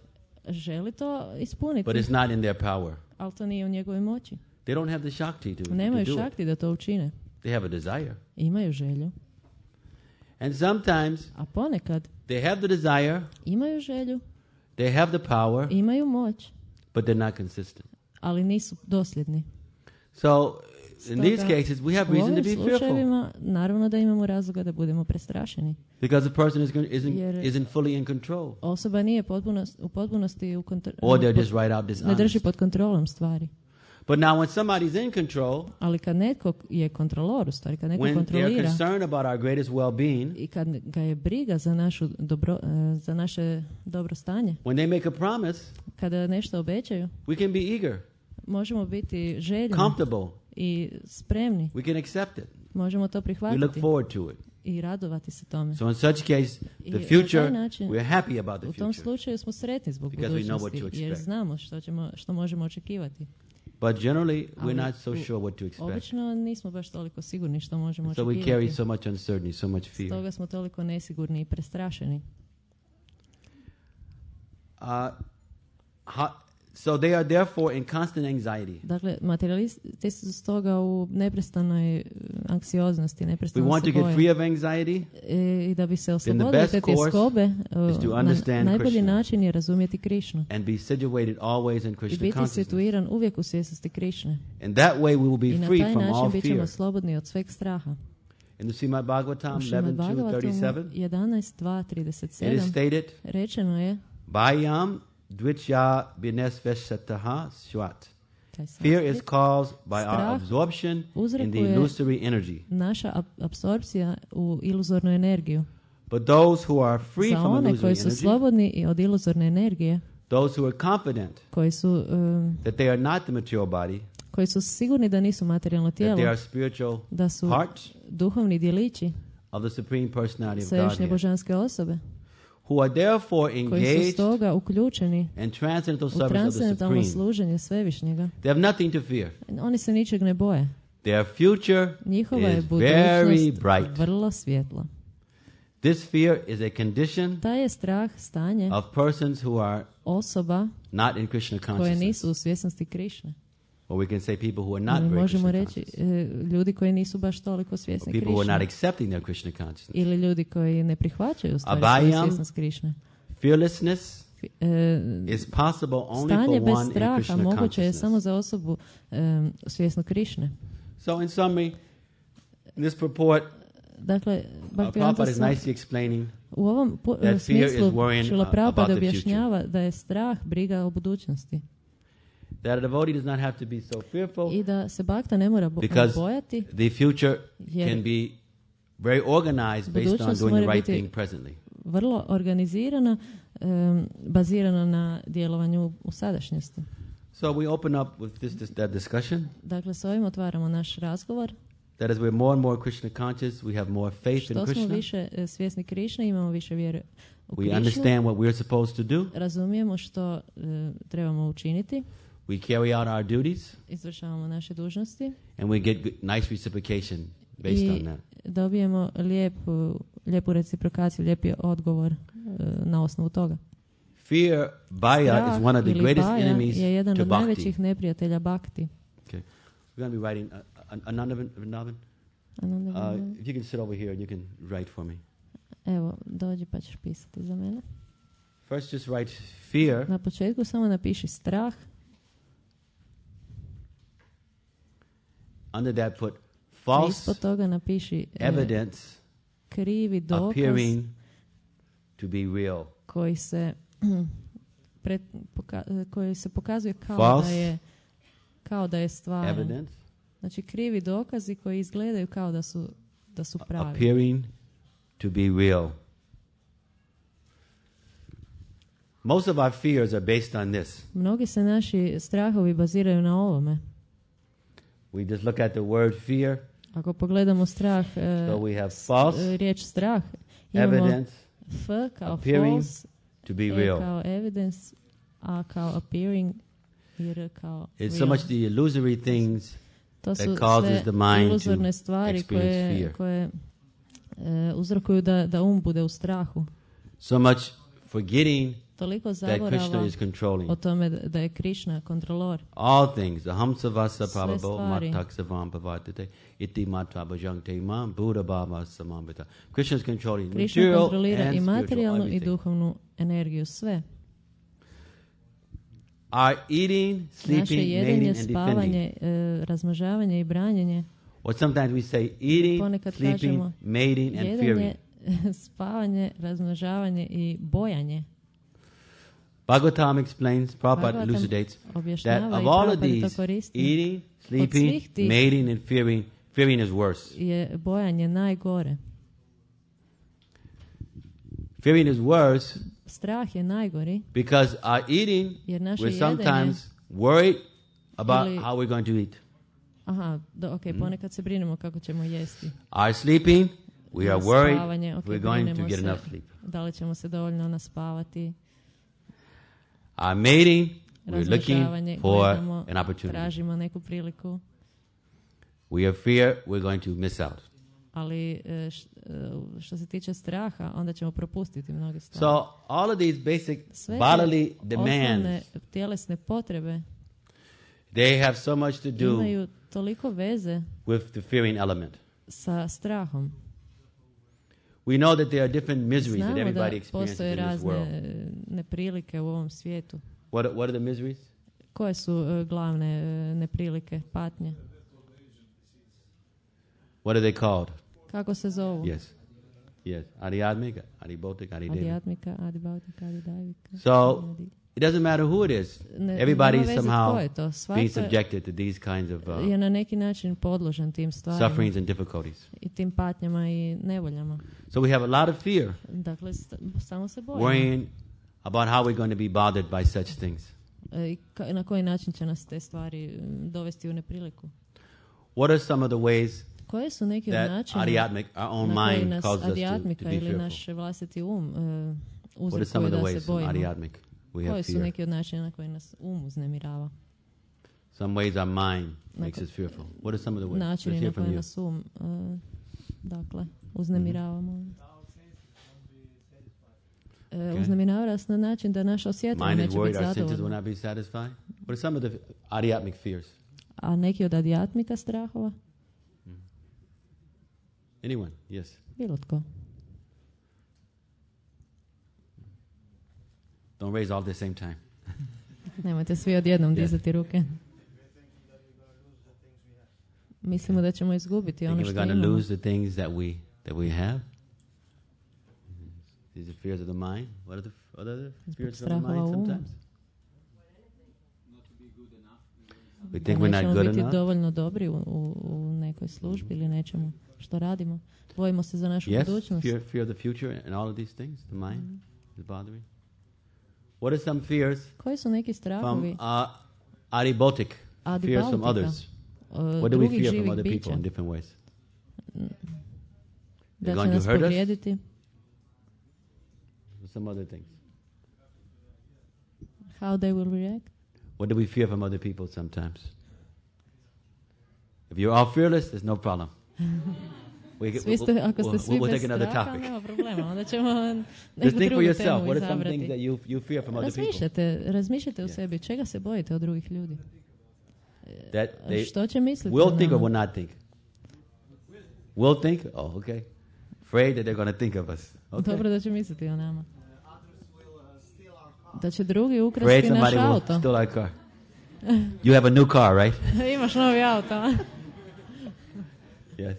Speaker 2: Želi to ispuniti.
Speaker 1: But it's not in their power.
Speaker 2: Ali to nije u njegovoj moći.
Speaker 1: They don't have the shakti to
Speaker 2: Nemaju
Speaker 1: do
Speaker 2: šakti da to učine.
Speaker 1: They have a desire.
Speaker 2: Imaju želju.
Speaker 1: And sometimes
Speaker 2: a ponekad
Speaker 1: they have the desire.
Speaker 2: Imaju želju.
Speaker 1: They have the power.
Speaker 2: Imaju moć.
Speaker 1: But they're not consistent.
Speaker 2: Ali nisu dosljedni.
Speaker 1: So in these cases we have reason to be fearful.
Speaker 2: Naravno da imamo razloga da budemo prestrašeni.
Speaker 1: Because the person isn't fully in control.
Speaker 2: Osoba nije u potpunosti u
Speaker 1: kontroli. Or they're just right out dishonest.
Speaker 2: Ne drži pod kontrolom stvari.
Speaker 1: But now when somebody's in control,
Speaker 2: ali kad netko je kontrolor, u stvari, kad netko kontrolira,
Speaker 1: when they're concerned about our greatest well-being,
Speaker 2: i kad ga je briga za za naše dobro stanje,
Speaker 1: when they make a promise,
Speaker 2: kada nešto obećaju,
Speaker 1: we can be eager,
Speaker 2: možemo biti željni,
Speaker 1: comfortable,
Speaker 2: i spremni,
Speaker 1: we can accept it,
Speaker 2: možemo to prihvatiti,
Speaker 1: we look forward to it,
Speaker 2: i radovati se tome.
Speaker 1: So in such case, the future, we're happy about the future.
Speaker 2: U tom slučaju smo sretni zbog budućnosti, jer znamo što možemo očekivati.
Speaker 1: But generally, we're not so sure what to expect.
Speaker 2: Obično nismo baš toliko sigurni što možemo
Speaker 1: očekivati. So we carry so much uncertainty, so much fear.
Speaker 2: Stoga smo toliko nesigurni i prestrašeni.
Speaker 1: So they are therefore in constant anxiety.
Speaker 2: Dakle, materialisti su stoga u neprestanoj anksioznosti, neprestano se boje.
Speaker 1: We want to get free of anxiety.
Speaker 2: I da bi se oslobodili te tjeskobe, najbolji način je razumjeti Krišnu.
Speaker 1: And be situated always in Krishna
Speaker 2: consciousness. I biti situiran uvijek u svjesnosti Krišne.
Speaker 1: And that way we will be free from all fear.
Speaker 2: I na taj način bićemo slobodni od sveg straha.
Speaker 1: In the Srimad Bhagavatam 11:237,
Speaker 2: 11:237,
Speaker 1: it is stated,
Speaker 2: rečeno je,
Speaker 1: Bhayam Dvichya Binesveshataha Swat. Fear is caused by our absorption in the illusory energy.
Speaker 2: Naša apsorpcija u iluzornu energiju.
Speaker 1: But those who are free from illusory
Speaker 2: energy, koji su slobodni od iluzorne energije,
Speaker 1: Those who are confident
Speaker 2: koji su
Speaker 1: that they are not the material body,
Speaker 2: koji su sigurni da nisu materijalno tijelo,
Speaker 1: that they are spiritual
Speaker 2: da su
Speaker 1: parts
Speaker 2: duhovni djelići
Speaker 1: of the supreme personality of
Speaker 2: svevišnje
Speaker 1: God,
Speaker 2: božanske osobe,
Speaker 1: who are therefore
Speaker 2: koji su
Speaker 1: engaged
Speaker 2: stoga uključeni
Speaker 1: in transcendental
Speaker 2: u
Speaker 1: service of the
Speaker 2: transcendentalno
Speaker 1: supreme.
Speaker 2: služenje svevišnjega.
Speaker 1: They have nothing to fear.
Speaker 2: Oni se ničeg ne boje.
Speaker 1: Their future
Speaker 2: Njihova je
Speaker 1: is very
Speaker 2: budućnost
Speaker 1: bright.
Speaker 2: vrlo svjetla.
Speaker 1: This fear is a condition
Speaker 2: Taj je strah stanje
Speaker 1: of persons who are
Speaker 2: osoba
Speaker 1: not in Krishna
Speaker 2: koje
Speaker 1: consciousness.
Speaker 2: nisu u svjesnosti Krišne.
Speaker 1: Or we can say people who are not
Speaker 2: Ili
Speaker 1: very
Speaker 2: možemo
Speaker 1: Krishna
Speaker 2: reći
Speaker 1: conscious.
Speaker 2: ljudi koji nisu baš toliko
Speaker 1: Or
Speaker 2: svjesni
Speaker 1: people who are not
Speaker 2: Krišne.
Speaker 1: accepting their Krishna consciousness.
Speaker 2: Ili ljudi koji ne prihvaćaju stvari
Speaker 1: Abhayam,
Speaker 2: svoju svjesnost Krišne.
Speaker 1: Fearlessness is possible only
Speaker 2: Stanje
Speaker 1: for
Speaker 2: bez
Speaker 1: one in
Speaker 2: straha
Speaker 1: Krishna
Speaker 2: moguće je
Speaker 1: consciousness.
Speaker 2: samo za osobu svjesnu Krišne.
Speaker 1: So in summary, in this purport,
Speaker 2: Dakle,
Speaker 1: Prabhupada is nicely explaining
Speaker 2: u ovom
Speaker 1: that fear is
Speaker 2: smislu
Speaker 1: worrying
Speaker 2: Šrila
Speaker 1: about
Speaker 2: Prabhupada
Speaker 1: the
Speaker 2: objašnjava da je strah briga o budućnosti.
Speaker 1: that a devotee does not have to be so fearful
Speaker 2: I da se bakta ne mora
Speaker 1: because
Speaker 2: bojati,
Speaker 1: the future
Speaker 2: jer
Speaker 1: can be very organized based on
Speaker 2: budućnost
Speaker 1: doing the
Speaker 2: mora
Speaker 1: right
Speaker 2: biti
Speaker 1: thing presently.
Speaker 2: vrlo organizirana, bazirana na djelovanju u sadašnjosti.
Speaker 1: So we open up with that discussion.
Speaker 2: Dakle, s ovim otvaramo naš razgovor.
Speaker 1: That as we're more and more Krishna conscious, we have more faith in
Speaker 2: Što smo
Speaker 1: Krishna.
Speaker 2: više svjesni Krišne, imamo više vjere u
Speaker 1: We
Speaker 2: Krišnu.
Speaker 1: understand what we're supposed to do.
Speaker 2: Razumijemo što trebamo učiniti.
Speaker 1: We carry out our duties,
Speaker 2: Izvršavamo naše dužnosti.
Speaker 1: and we get nice reciprocation based on
Speaker 2: I
Speaker 1: that.
Speaker 2: dobijemo lijepu reciprokaciju, lijepi odgovor na osnovu toga.
Speaker 1: Fear, bhaya, is one of the
Speaker 2: ili
Speaker 1: greatest
Speaker 2: bhaya
Speaker 1: enemies
Speaker 2: je jedan
Speaker 1: to
Speaker 2: od
Speaker 1: bhakti.
Speaker 2: najvećih neprijatelja bhakti.
Speaker 1: Okay, we're going to be writing. Anandavan, if you can sit over here and you can write for me.
Speaker 2: Evo, dođi pa ćeš pisati za mene.
Speaker 1: First, just write fear.
Speaker 2: Na početku samo napiši strah.
Speaker 1: Under that, put
Speaker 2: I
Speaker 1: false
Speaker 2: ispod toga napiši
Speaker 1: evidence
Speaker 2: krivi dokaz
Speaker 1: appearing to be real.
Speaker 2: koji se koji se pokazuje
Speaker 1: False
Speaker 2: kao da je stvaran.
Speaker 1: Evidence
Speaker 2: Znači krivi dokazi koji izgledaju kao da su pravi.
Speaker 1: appearing to be real. Most of our fears are based on this.
Speaker 2: Mnogi se naši strahovi baziraju na ovome.
Speaker 1: We just look at the word fear.
Speaker 2: Ako pogledamo strah,
Speaker 1: So we have false
Speaker 2: riječ strah, imamo
Speaker 1: evidence
Speaker 2: F kao
Speaker 1: appearing
Speaker 2: false,
Speaker 1: to be
Speaker 2: E
Speaker 1: real.
Speaker 2: kao evidence, A kao appearing, i R kao
Speaker 1: It's so
Speaker 2: real.
Speaker 1: much the illusory things
Speaker 2: To su
Speaker 1: that causes
Speaker 2: sve
Speaker 1: the mind
Speaker 2: iluzorne
Speaker 1: to
Speaker 2: stvari
Speaker 1: experience fear.
Speaker 2: koje uzrokuju da bude u strahu.
Speaker 1: So much forgetting
Speaker 2: Toliko
Speaker 1: that Krishna
Speaker 2: zaborava
Speaker 1: is controlling
Speaker 2: o tome da je Krišna kontrolor.
Speaker 1: all things. Ahamsavasa
Speaker 2: Sve
Speaker 1: prabhavo
Speaker 2: stvari.
Speaker 1: mataksavam bhavatite iti matra bhajante imam buddha bhava samambita. Krishna is controlling
Speaker 2: Krišna
Speaker 1: material
Speaker 2: kontrolira
Speaker 1: and
Speaker 2: i
Speaker 1: spiritual,
Speaker 2: materijalnu i
Speaker 1: everything.
Speaker 2: duhovnu energiju, sve.
Speaker 1: Our eating,
Speaker 2: Naše
Speaker 1: sleeping,
Speaker 2: jedenje,
Speaker 1: mating, and defending.
Speaker 2: spavanje, razmnožavanje i branjenje.
Speaker 1: Or sometimes we say eating,
Speaker 2: Ponekad
Speaker 1: sleeping,
Speaker 2: kažemo
Speaker 1: mating, and fearing.
Speaker 2: jedenje, spavanje, razmnožavanje i bojanje.
Speaker 1: Bhagavatam explains, Prabhupada
Speaker 2: Bhagavatam
Speaker 1: elucidates that
Speaker 2: objašnjava
Speaker 1: of
Speaker 2: i
Speaker 1: all of
Speaker 2: Prabhupada to
Speaker 1: these,
Speaker 2: koristi.
Speaker 1: eating, sleeping,
Speaker 2: svih tih-
Speaker 1: mating, and fearing is worse.
Speaker 2: Je bojanje najgore.
Speaker 1: Fearing is worse
Speaker 2: Strah je najgori
Speaker 1: because our eating,
Speaker 2: jer naše
Speaker 1: we're
Speaker 2: jedenje...
Speaker 1: sometimes worried about
Speaker 2: Ili-
Speaker 1: how we're going to eat.
Speaker 2: Aha, ponekad se brinemo kako ćemo jesti.
Speaker 1: Our sleeping, we are worried
Speaker 2: Spavanje,
Speaker 1: we're going to
Speaker 2: brinemo
Speaker 1: get
Speaker 2: se
Speaker 1: enough sleep.
Speaker 2: da li ćemo se dovoljno naspavati.
Speaker 1: Our mating, we're
Speaker 2: Razmnožavanje,
Speaker 1: looking for
Speaker 2: gledamo,
Speaker 1: an opportunity.
Speaker 2: tražimo neku priliku.
Speaker 1: We have fear, we're going to miss out.
Speaker 2: Ali što se tiče straha, onda ćemo propustiti mnoge stvari.
Speaker 1: So all of these basic
Speaker 2: Sve
Speaker 1: bodily
Speaker 2: te osnovne
Speaker 1: demands,
Speaker 2: tjelesne potrebe
Speaker 1: they have so much to do
Speaker 2: imaju toliko veze
Speaker 1: with the fearing element.
Speaker 2: sa strahom.
Speaker 1: We know that there are different miseries that
Speaker 2: Znamo da
Speaker 1: everybody experiences
Speaker 2: postoje
Speaker 1: in this
Speaker 2: razne
Speaker 1: world.
Speaker 2: neprilike u ovom svijetu.
Speaker 1: What are the miseries?
Speaker 2: Koje su glavne neprilike, patnje?
Speaker 1: What are they called?
Speaker 2: Kako se zovu?
Speaker 1: Yes. Adhyatmika, adhibautika, adhidevika.
Speaker 2: Adijatmika, adibautika, adidajvika.
Speaker 1: So it doesn't matter who it is. Everybody
Speaker 2: nema
Speaker 1: is
Speaker 2: veze
Speaker 1: somehow
Speaker 2: tko je to.
Speaker 1: being
Speaker 2: Svatko
Speaker 1: subjected to these kinds of
Speaker 2: je na neki način podložen tim stvarima
Speaker 1: sufferings and difficulties.
Speaker 2: i tim patnjama i nevoljama.
Speaker 1: So we have a lot of fear,
Speaker 2: Dakle, samo se bojimo.
Speaker 1: worrying about how we're going to be bothered by such things.
Speaker 2: Na koji način će nas te stvari dovesti u nepriliku?
Speaker 1: What are some of the ways
Speaker 2: koje su neki od načina
Speaker 1: our own mind
Speaker 2: nas adjatmika ili naš vlastiti uzrokuje da se bojimo? Koji su neki od načina na koji nas uznemirava?
Speaker 1: Some ways our mind makes us fearful. What are some of the ways?
Speaker 2: Načini na koji nas dakle, uznemiravamo. Uznemirava nas na način da naša osjetljiva neće biti zadovoljna.
Speaker 1: What are some of the adhyatmic fears?
Speaker 2: A neki od adjatmika strahova?
Speaker 1: Anyone? Yes.
Speaker 2: Bilo tko.
Speaker 1: Don't raise all at the same time.
Speaker 2: Nemojte svi odjednom dizati ruke. Mislimo da ćemo izgubiti ono što imamo.
Speaker 1: We're going to lose the things that we have. These are fears of the mind. What are the fears of the mind sometimes? We think we're not good enough.
Speaker 2: Biti dovoljno dobri u nekoj službi ili nečemu što radimo. Bojimo se za našu budućnost.
Speaker 1: Yes, fear of the future and all of these things. The mind is bothering. What are some fears?
Speaker 2: Koji su neki strahovi?
Speaker 1: From adibaltic, fears from others. What do we fear from other people in different ways?
Speaker 2: Da će nas povrijediti.
Speaker 1: Some other things.
Speaker 2: How they will react?
Speaker 1: What do we fear from other people sometimes? If you're all fearless, there's no problem. We'll take another topic. Just think for yourself. What are some things that you fear from other people?
Speaker 2: Razmišljate u sebi. Čega se bojite od drugih ljudi?
Speaker 1: That they
Speaker 2: što će misliti?
Speaker 1: Will think or will not think? Will think? Oh, okay. Afraid that they're going to think of us. Okay.
Speaker 2: Dobro da će misliti o nama. Da će drugi ukrasti naš auto.
Speaker 1: Steal our car. You have a new car, right?
Speaker 2: Imaš novi auto.
Speaker 1: Yes.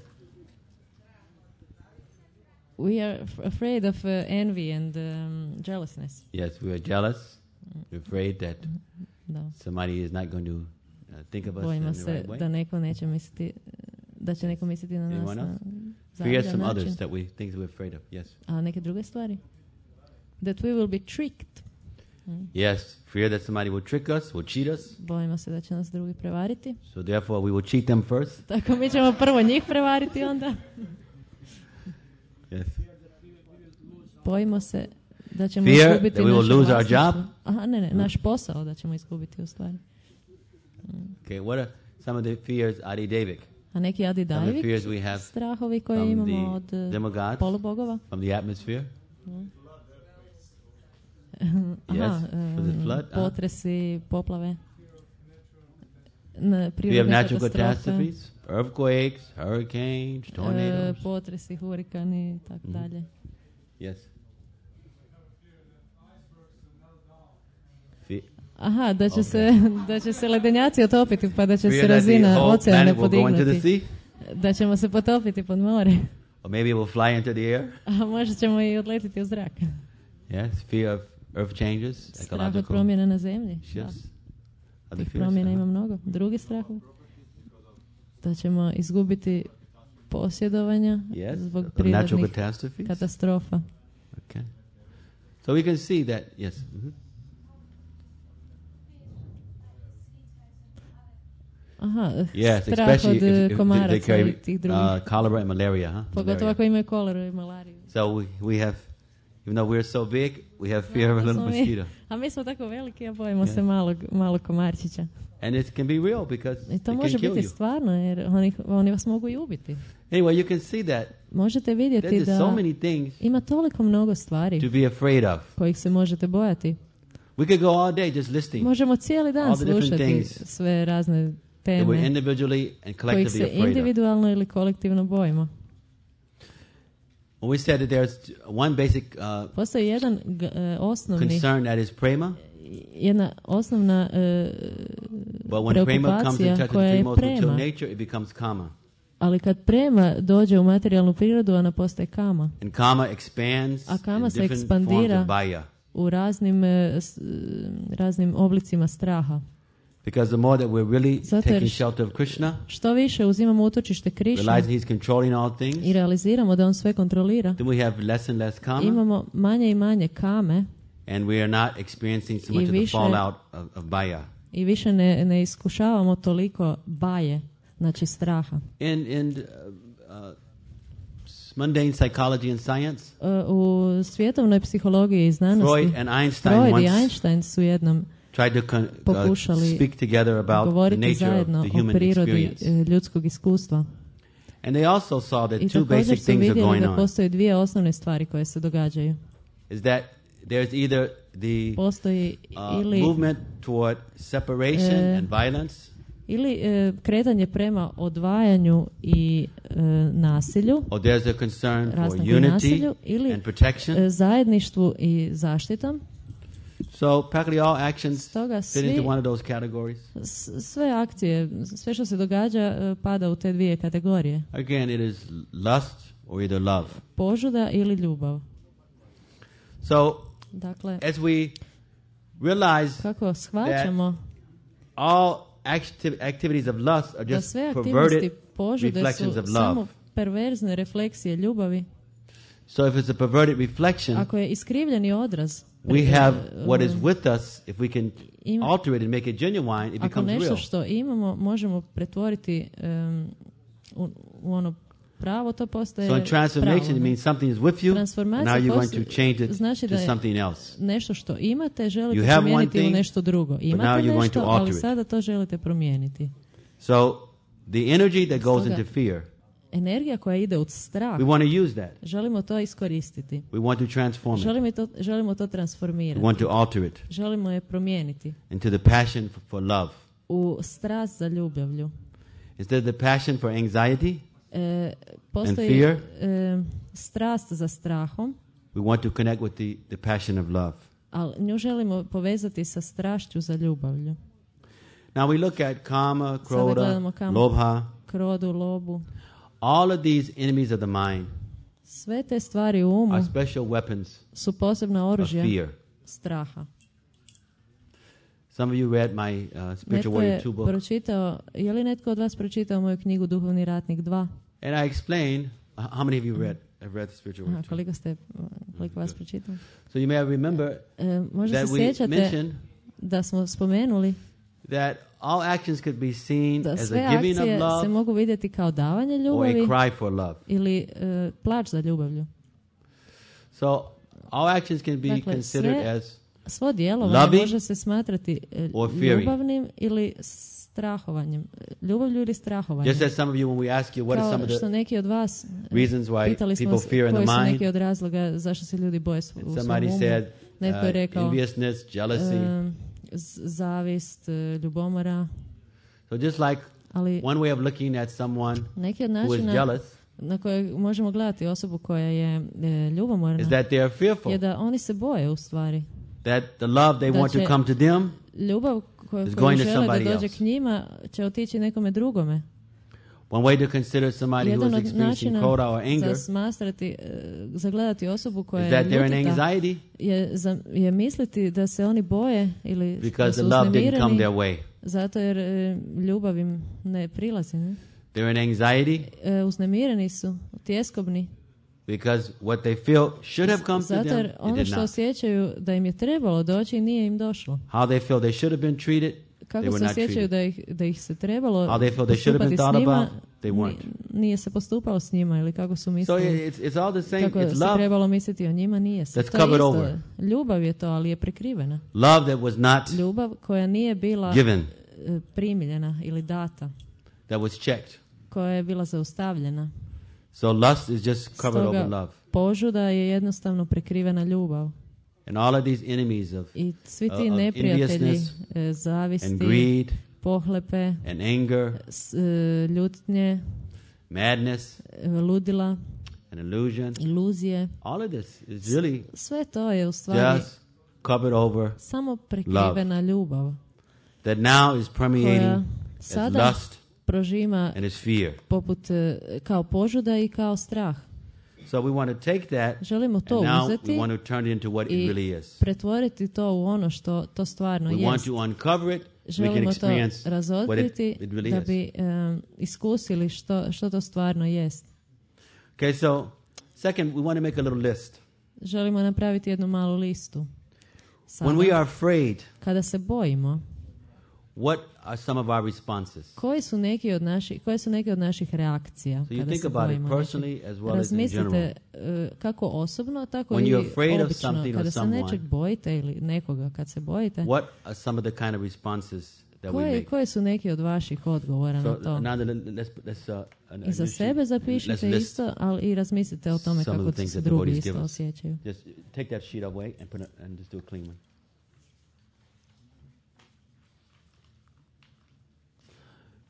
Speaker 2: We are afraid of envy and jealousness.
Speaker 1: Yes, we are jealous. We're afraid that somebody is not going to think of us in the right way.
Speaker 2: Da neko neće misliti, da će neko misliti na nas na
Speaker 1: fears from others that things we're afraid of. Yes.
Speaker 2: A neke druge stvari? That we will be tricked.
Speaker 1: Yes, fear that somebody will trick us, will cheat us.
Speaker 2: Bojimo se da će nas drugi prevariti.
Speaker 1: So therefore we will cheat them first.
Speaker 2: Tako mi ćemo prvo njih prevariti onda.
Speaker 1: Yes.
Speaker 2: Bojimo se da ćemo izgubiti naš
Speaker 1: job.
Speaker 2: Aha, ne, naš posao da ćemo izgubiti u stvari.
Speaker 1: Okay, what are some of the fears Adi-Davik?
Speaker 2: A neki Adi-Davik strahovi koje imamo od polubogova?
Speaker 1: From the atmosphere?
Speaker 2: Aha, potresi, poplave.
Speaker 1: We have natural catastrophes, earthquakes, hurricanes, tornadoes.
Speaker 2: Potresi, hurikani, tako dalje.
Speaker 1: Yes.
Speaker 2: Aha, da će se ledenjaci otopiti pa da će se razina oceana podignuti. Da ćemo se potopiti pod more.
Speaker 1: Or maybe it will fly into the air.
Speaker 2: A možda ćemo i odletiti u zrak.
Speaker 1: Yes, fear of earth changes,
Speaker 2: strah od promjena na zemlji. Tih promjena ima mnogo. Drugi strah da ćemo izgubiti posjedovanja zbog prirodnih katastrofa.
Speaker 1: Okay. So we can see that, yes.
Speaker 2: Aha,
Speaker 1: yes,
Speaker 2: strah od komaraca i tih drugih.
Speaker 1: Cholera and malaria,
Speaker 2: Pogotovo ako imaju koleru i malariju.
Speaker 1: So we have, even though we're so big, we have fear of a little mosquito.
Speaker 2: A mi smo tako veliki, a bojimo se malog komarčića.
Speaker 1: And it can be real because
Speaker 2: I to može biti stvarno, jer oni vas mogu i ubiti.
Speaker 1: Anyway, you can see that
Speaker 2: možete vidjeti da
Speaker 1: so many things
Speaker 2: ima toliko mnogo stvari
Speaker 1: to be afraid of.
Speaker 2: Kojih se možete bojati.
Speaker 1: We could go all day just listening.
Speaker 2: Možemo cijeli dan slušati sve razne teme kojih se individualno ili kolektivno bojimo.
Speaker 1: We said that there's one basic
Speaker 2: postoji jedan osnovni
Speaker 1: concern that is prema.
Speaker 2: Jedna osnovna preokupacija koja je prema.
Speaker 1: Nature, it becomes kama.
Speaker 2: Ali kad prema dođe u materijalnu prirodu, ona postaje kama.
Speaker 1: And kama expands
Speaker 2: a kama se ekspandira u raznim oblicima straha.
Speaker 1: Because the more that we're really taking shelter of Krishna,
Speaker 2: što više uzimamo utočište Krišne i realiziramo da on sve kontrolira,
Speaker 1: then we have less and less kama,
Speaker 2: imamo manje i manje kame,
Speaker 1: And we are not experiencing so much of the fallout of baya.
Speaker 2: I više ne iskušavamo toliko baje, znači straha.
Speaker 1: In mundane psychology and science,
Speaker 2: u svjetovnoj psihologiji i znanosti, Freud i Einstein su jednom pokušali govoriti zajedno o prirodi ljudskog iskustva.
Speaker 1: And they also saw that
Speaker 2: I
Speaker 1: two basic things are going
Speaker 2: on. Postoje dvije osnovne stvari koje se događaju.
Speaker 1: Is that there's either the movement toward separation and violence,
Speaker 2: ili kretanje prema odvajanju i nasilju,
Speaker 1: or there's a concern for unity
Speaker 2: nasilju, ili
Speaker 1: and protection,
Speaker 2: zajedništvu i zaštitom.
Speaker 1: So practically all actions fit into one of those categories.
Speaker 2: Sve akcije, sve što se događa pada u te dvije kategorije.
Speaker 1: Again, it is lust or either love.
Speaker 2: Požuda ili ljubav.
Speaker 1: So,
Speaker 2: dakle,
Speaker 1: as we realize
Speaker 2: kako shvaćamo,
Speaker 1: all activities of lust are just perverted reflections of love.
Speaker 2: Samo perverzne refleksije ljubavi.
Speaker 1: So if it's a perverted reflection,
Speaker 2: ako je iskrivljeni odraz,
Speaker 1: we have what is with us. If we can alter it and make it genuine, it becomes real.
Speaker 2: Ako nešto što imamo možemo pretvoriti u ono pravo, to postaje
Speaker 1: pravo. So in transformation, it means something is with you. Now you're going to change it
Speaker 2: znači
Speaker 1: to something else.
Speaker 2: Nešto što imate želite promijeniti u nešto drugo. Imate nešto, ali sada to želite promijeniti.
Speaker 1: So the energy that goes into fear,
Speaker 2: energija koja ide u strah,
Speaker 1: we want to use that.
Speaker 2: Želimo to iskoristiti.
Speaker 1: We want to transform it.
Speaker 2: Želimo to transformirati.
Speaker 1: We want to alter it.
Speaker 2: Želimo je promijeniti.
Speaker 1: Into the passion for love.
Speaker 2: U strast za ljubavlju.
Speaker 1: Instead of the passion for anxiety
Speaker 2: and
Speaker 1: fear,
Speaker 2: strast za strahom.
Speaker 1: We want to connect with the passion of love.
Speaker 2: Ali nju želimo povezati sa strašću za ljubavlju.
Speaker 1: Now we look at kama, kroda, lobha.
Speaker 2: Krodu, lobu.
Speaker 1: All of these enemies of the mind,
Speaker 2: sve te stvari u umu,
Speaker 1: are special weapons
Speaker 2: su posebna oružja
Speaker 1: of fear.
Speaker 2: Straha.
Speaker 1: Some of you read my Spiritual Warrior 2 book.
Speaker 2: Je li netko od vas pročitao moju knjigu Duhovni ratnik 2?
Speaker 1: And I explain how many of you have read the Spiritual Warrior 2.
Speaker 2: Koliko vas pročitao?
Speaker 1: So you may remember
Speaker 2: možda se sjećate da smo spomenuli
Speaker 1: that all actions could be seen
Speaker 2: da
Speaker 1: as a giving of love,
Speaker 2: se mogu vidjeti kao davanje ljubavi,
Speaker 1: or a cry for love,
Speaker 2: ili plač za ljubavlju.
Speaker 1: So all actions can be considered as
Speaker 2: svo djelovanje može se smatrati ljubavnim ili strahovanjem. Ljubavlju ili strahovanjem.
Speaker 1: Just as some of you, when we ask you what are some of the
Speaker 2: neki od vas
Speaker 1: reasons why people fear in the mind,
Speaker 2: koji su neki od razloga zašto se ljudi boje u svom umu. Netko je rekao
Speaker 1: enviousness, jealousy,
Speaker 2: zavist, ljubomora.
Speaker 1: So just like one way of looking at someone who is jealous,
Speaker 2: na koje možemo gledati osobu koja je ljubomorna,
Speaker 1: is that they are fearful.
Speaker 2: Je da oni se boje u stvari.
Speaker 1: That the love they want to come to them
Speaker 2: ljubav koju žele da dođe k njima će otići nekome drugome.
Speaker 1: One way to consider somebody who is experiencing kroda or anger
Speaker 2: zagledati osobu koja je ljutita je misliti da se oni boje ili da su uznemireni zato jer ljubav im ne prilazi. Ne?
Speaker 1: They're in anxiety.
Speaker 2: Uznemireni su, tjeskobni.
Speaker 1: Because what they feel should have come to them,
Speaker 2: zato jer ono što osjećaju da im je trebalo doći nije im došlo.
Speaker 1: How they feel they should have been treated,
Speaker 2: kako se osjećaju da ih se trebalo
Speaker 1: postupati s njima,
Speaker 2: nije se postupalo s njima ili kako su mislili.
Speaker 1: So it's all the same.
Speaker 2: Kako se trebalo misliti o njima, nije se.
Speaker 1: That's covered over.
Speaker 2: Ljubav je to, ali je prekrivena.
Speaker 1: Love that was not
Speaker 2: ljubav koja nije bila
Speaker 1: given,
Speaker 2: primljena ili data.
Speaker 1: That was checked.
Speaker 2: Koja je bila zaustavljena.
Speaker 1: So lust is just covered over love.
Speaker 2: Požuda je jednostavno prekrivena ljubav.
Speaker 1: And all of these enemies of
Speaker 2: i svi ti neprijatelji zavisti,
Speaker 1: and greed,
Speaker 2: pohlepe,
Speaker 1: and anger,
Speaker 2: ljutnje,
Speaker 1: madness,
Speaker 2: ludila,
Speaker 1: and illusion,
Speaker 2: iluzije.
Speaker 1: All of this is really
Speaker 2: sve to je u stvari
Speaker 1: just covered over
Speaker 2: samo prekrivena ljubav.
Speaker 1: That now is permeating as lust
Speaker 2: prožima
Speaker 1: and as fear.
Speaker 2: Poput kao požuda i kao strah.
Speaker 1: So we want to take that,
Speaker 2: želimo to uzeti
Speaker 1: we want to turn it into what it really is.
Speaker 2: Pretvoriti to u ono što to stvarno jest.
Speaker 1: We want to uncover it,
Speaker 2: želimo
Speaker 1: we can experience
Speaker 2: to razotkriti
Speaker 1: it really
Speaker 2: da bi iskusili što to stvarno jest.
Speaker 1: Okay, so second, we want to make a little list.
Speaker 2: Želimo napraviti jednu malu listu. Sada,
Speaker 1: when we are afraid,
Speaker 2: kada se bojimo,
Speaker 1: what are some of our responses?
Speaker 2: Koje su neke od naših reakcija
Speaker 1: So you
Speaker 2: kada
Speaker 1: think
Speaker 2: se
Speaker 1: about it
Speaker 2: bojimo?
Speaker 1: personally as well as in general.
Speaker 2: Razmislite kako osobno, tako
Speaker 1: When
Speaker 2: i
Speaker 1: you're afraid of
Speaker 2: obično.
Speaker 1: something or
Speaker 2: Kada se
Speaker 1: someone,
Speaker 2: nečeg bojite ili nekoga kad se bojite,
Speaker 1: what are some of the kind of responses that we make?
Speaker 2: Koje su neki od vaših odgovora na to?
Speaker 1: Now let's
Speaker 2: I za sebe zapišite isto, ali i razmislite o tome kako se drugi isto osjećaju.
Speaker 1: Just take that sheet away and just do a clean one.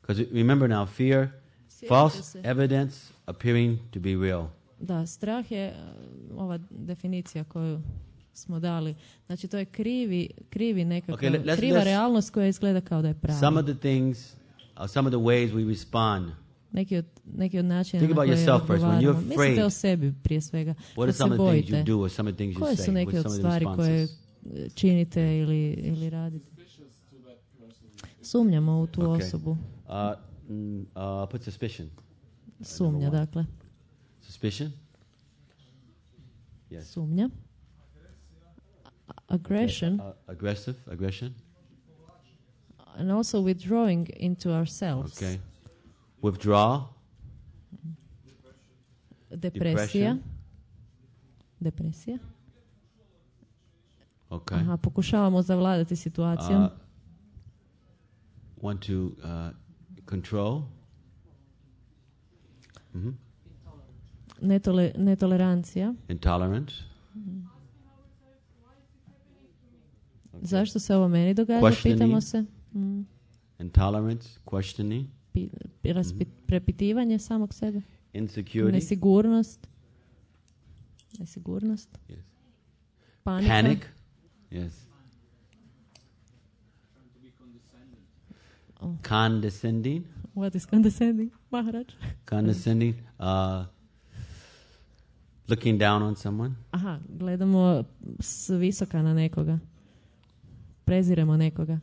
Speaker 1: Because remember now, fear, false evidence appearing to be real.
Speaker 2: Da, strah je ova definicija koju smo dali. Znači, to je krivi nekakva, kriva realnost koja izgleda kao da je prava.
Speaker 1: Some of the things, some of the ways we respond.
Speaker 2: Neki od načina
Speaker 1: na koje odgovaramo.
Speaker 2: Mislite o sebi prije svega. Kad se bojite, koje su neke od stvari koje činite ili radite? Sumnjamo u tu osobu.
Speaker 1: Put suspicion.
Speaker 2: Sumnja, dakle.
Speaker 1: Suspicion? Yes.
Speaker 2: Sumnja. Aggression.
Speaker 1: Aggression.
Speaker 2: And also withdrawing into ourselves.
Speaker 1: Okay. Withdraw.
Speaker 2: Depresija.
Speaker 1: Okay.
Speaker 2: Aha, pokušavamo zavladati situacijom.
Speaker 1: Want to control. Mm-hmm.
Speaker 2: Netolerancija.
Speaker 1: Intolerance.
Speaker 2: Okay. Zašto se ovo meni događa? Pitamo se.
Speaker 1: Intolerance, questioning.
Speaker 2: Prepitivanje samog sebe.
Speaker 1: Insecurity.
Speaker 2: Nesigurnost.
Speaker 1: Yes.
Speaker 2: Panika.
Speaker 1: Panic. Yes. Condescending.
Speaker 2: What is condescending, Maharaj?
Speaker 1: Condescending. Looking down on someone.
Speaker 2: Aha, gledamo s visoka na nekoga. Preziremo nekoga.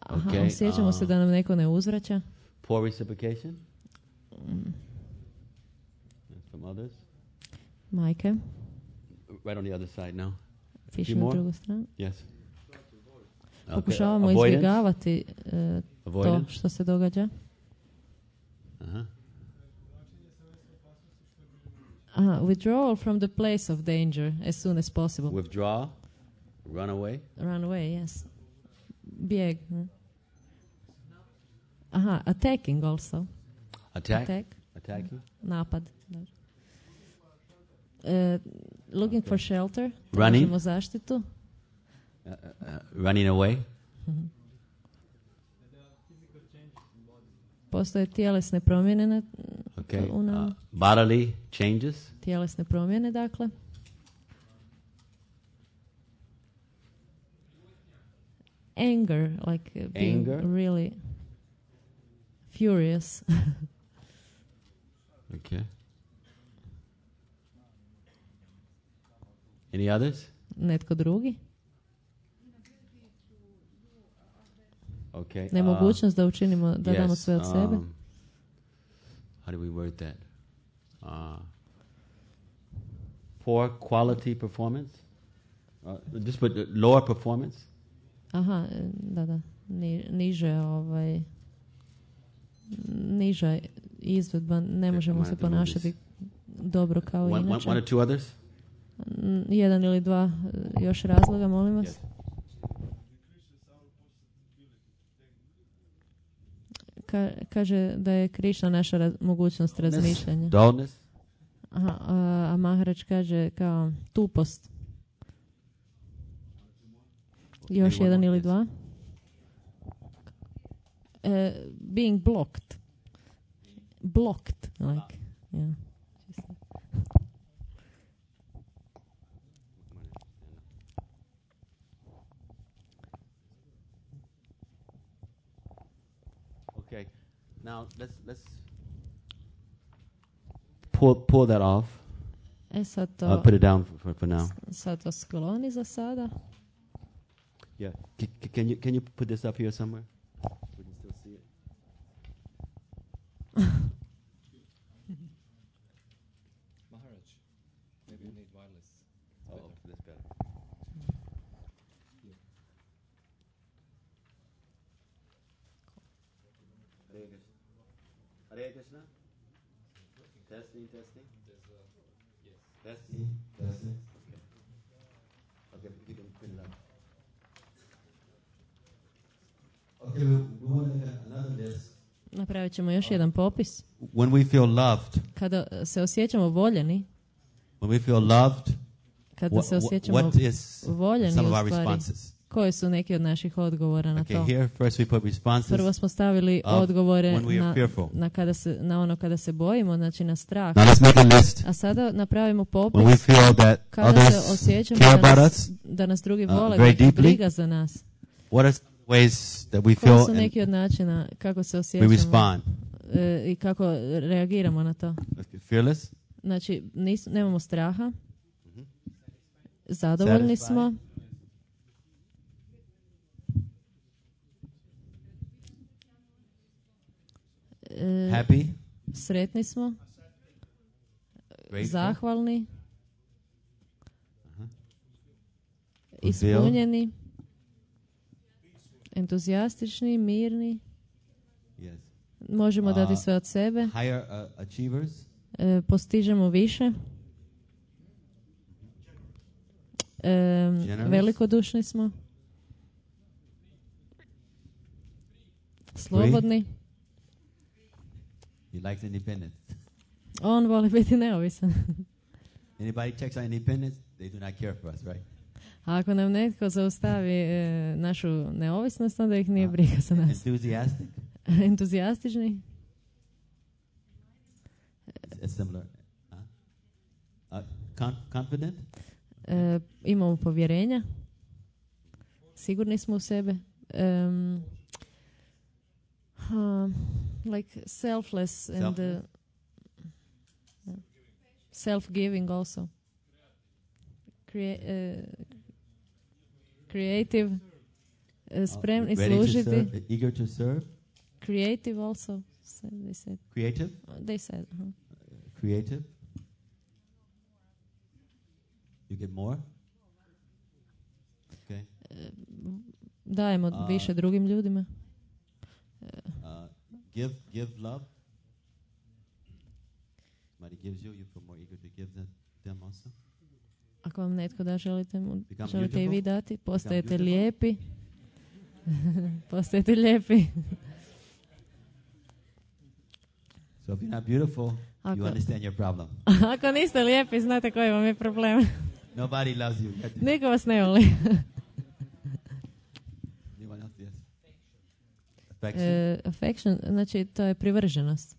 Speaker 2: Aha,
Speaker 1: okay,
Speaker 2: osjećamo se da nam neko ne uzvraća.
Speaker 1: Poor reciprocation. From others.
Speaker 2: Majke.
Speaker 1: Right on the other side now.
Speaker 2: Piše na drugu stranu.
Speaker 1: Yes.
Speaker 2: Pokušavamo izbjegavati to što se događa. Withdrawal from the place of danger as soon as possible.
Speaker 1: Withdraw, run away.
Speaker 2: Run away, yes. Bijeg. Attacking also.
Speaker 1: Attacking.
Speaker 2: Napad. Looking for shelter.
Speaker 1: Running.
Speaker 2: Tražimo zaštitu.
Speaker 1: Running away.
Speaker 2: Postoje tjelesne promjene
Speaker 1: bodily changes.
Speaker 2: Tjelesne promjene, dakle. Anger, like being really furious.
Speaker 1: Okay. Any others?
Speaker 2: Netko drugi?
Speaker 1: Okay.
Speaker 2: Nemogućnost da učinimo, da damo sve od sebe.
Speaker 1: How do we word that? Poor quality performance? Just put lower performance?
Speaker 2: Aha, da. Niža izvedba, ne možemo se ponašati dobro kao inače.
Speaker 1: One or two others?
Speaker 2: Jedan ili dva još razloga, molim vas. Yes. Kaže da je Krišna naša mogućnost razmišljanja.
Speaker 1: Dullness.
Speaker 2: A Maharaj kaže kao tupost. Još jedan ili dva. Being blocked. Blocked, like, yeah.
Speaker 1: Okay, now let's pull that off.
Speaker 2: Sad to,
Speaker 1: put it down for now.
Speaker 2: Sad to skloni za sada.
Speaker 1: Yeah, can you put this up here somewhere? We can still see it.
Speaker 3: Maharaj, maybe you need wireless.
Speaker 1: Oh, this Hare Krishna. Testing. Testing. Okay, you can put it up. Okay, we want to have another list.
Speaker 2: Napravit ćemo još jedan popis.
Speaker 1: When we feel loved.
Speaker 2: Kada se osjećamo voljeni.
Speaker 1: When we feel loved.
Speaker 2: Kada se osjećamo voljeni u stvari. Koji su neki od naših odgovora na to?
Speaker 1: Here first we put responses.
Speaker 2: Prvo smo stavili odgovore na ono kada se bojimo, znači na strah.
Speaker 1: Now let's make a list.
Speaker 2: A sada napravimo popis.
Speaker 1: When we feel that
Speaker 2: kada se osjećamo da nas drugi vole, da ih briga za nas.
Speaker 1: What are ways that we feel?
Speaker 2: Koji su neki od načina kako se osjećamo?
Speaker 1: We respond.
Speaker 2: I kako reagiramo na to?
Speaker 1: Fearless.
Speaker 2: Znači nemamo straha. Zadovoljni smo.
Speaker 1: Happy.
Speaker 2: Sretni smo. Zahvalni. Ispunjeni. Entuzijastični, mirni.
Speaker 1: Yes.
Speaker 2: Možemo dati sve od sebe.
Speaker 1: Higher achievers.
Speaker 2: Postižemo više. Velikodušni smo. Slobodni.
Speaker 1: He likes independence.
Speaker 2: On voli biti neovisan.
Speaker 1: Anybody checks our independence, they do not care for us, right?
Speaker 2: A ako nam netko zaustavi našu neovisnost, onda ih nije briga za nas.
Speaker 1: Enthusiastic.
Speaker 2: Entuzijastični.
Speaker 1: Similar. Confident.
Speaker 2: Imamo povjerenja. Sigurni smo u sebe. Like selfless and self-giving also. Creative. Spremni služiti.
Speaker 1: Eager to serve.
Speaker 2: Creative also. They said.
Speaker 1: Creative?
Speaker 2: They said.
Speaker 1: Creative. You get more? Okay.
Speaker 2: Dajemo više drugim ljudima.
Speaker 1: Give love. Somebody gives you, you feel more eager to give them also.
Speaker 2: Ako vam netko da, želite i vi dati. Postajete lijepi. Postajete lijepi.
Speaker 1: So if you're not beautiful, you understand your problem.
Speaker 2: Ako niste lijepi, znate koji vam je problem.
Speaker 1: Nobody loves you.
Speaker 2: Niko vas ne voli. Affection, znači to je privrženost.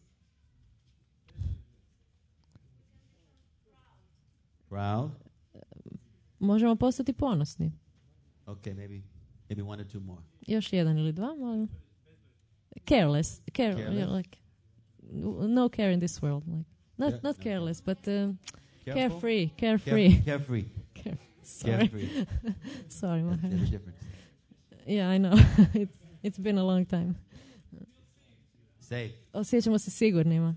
Speaker 1: Proud.
Speaker 2: Možemo postati ponosni.
Speaker 1: Okay, maybe one or two more.
Speaker 2: Još jedan ili dva, molim. Careless. Like, no care in this world. Like, not careless, but carefree.
Speaker 1: Carefree.
Speaker 2: Sorry. Sorry, my
Speaker 1: There's a difference.
Speaker 2: Yeah, I know. It's been a long time.
Speaker 1: Safe.
Speaker 2: Osjećamo se sigurnima.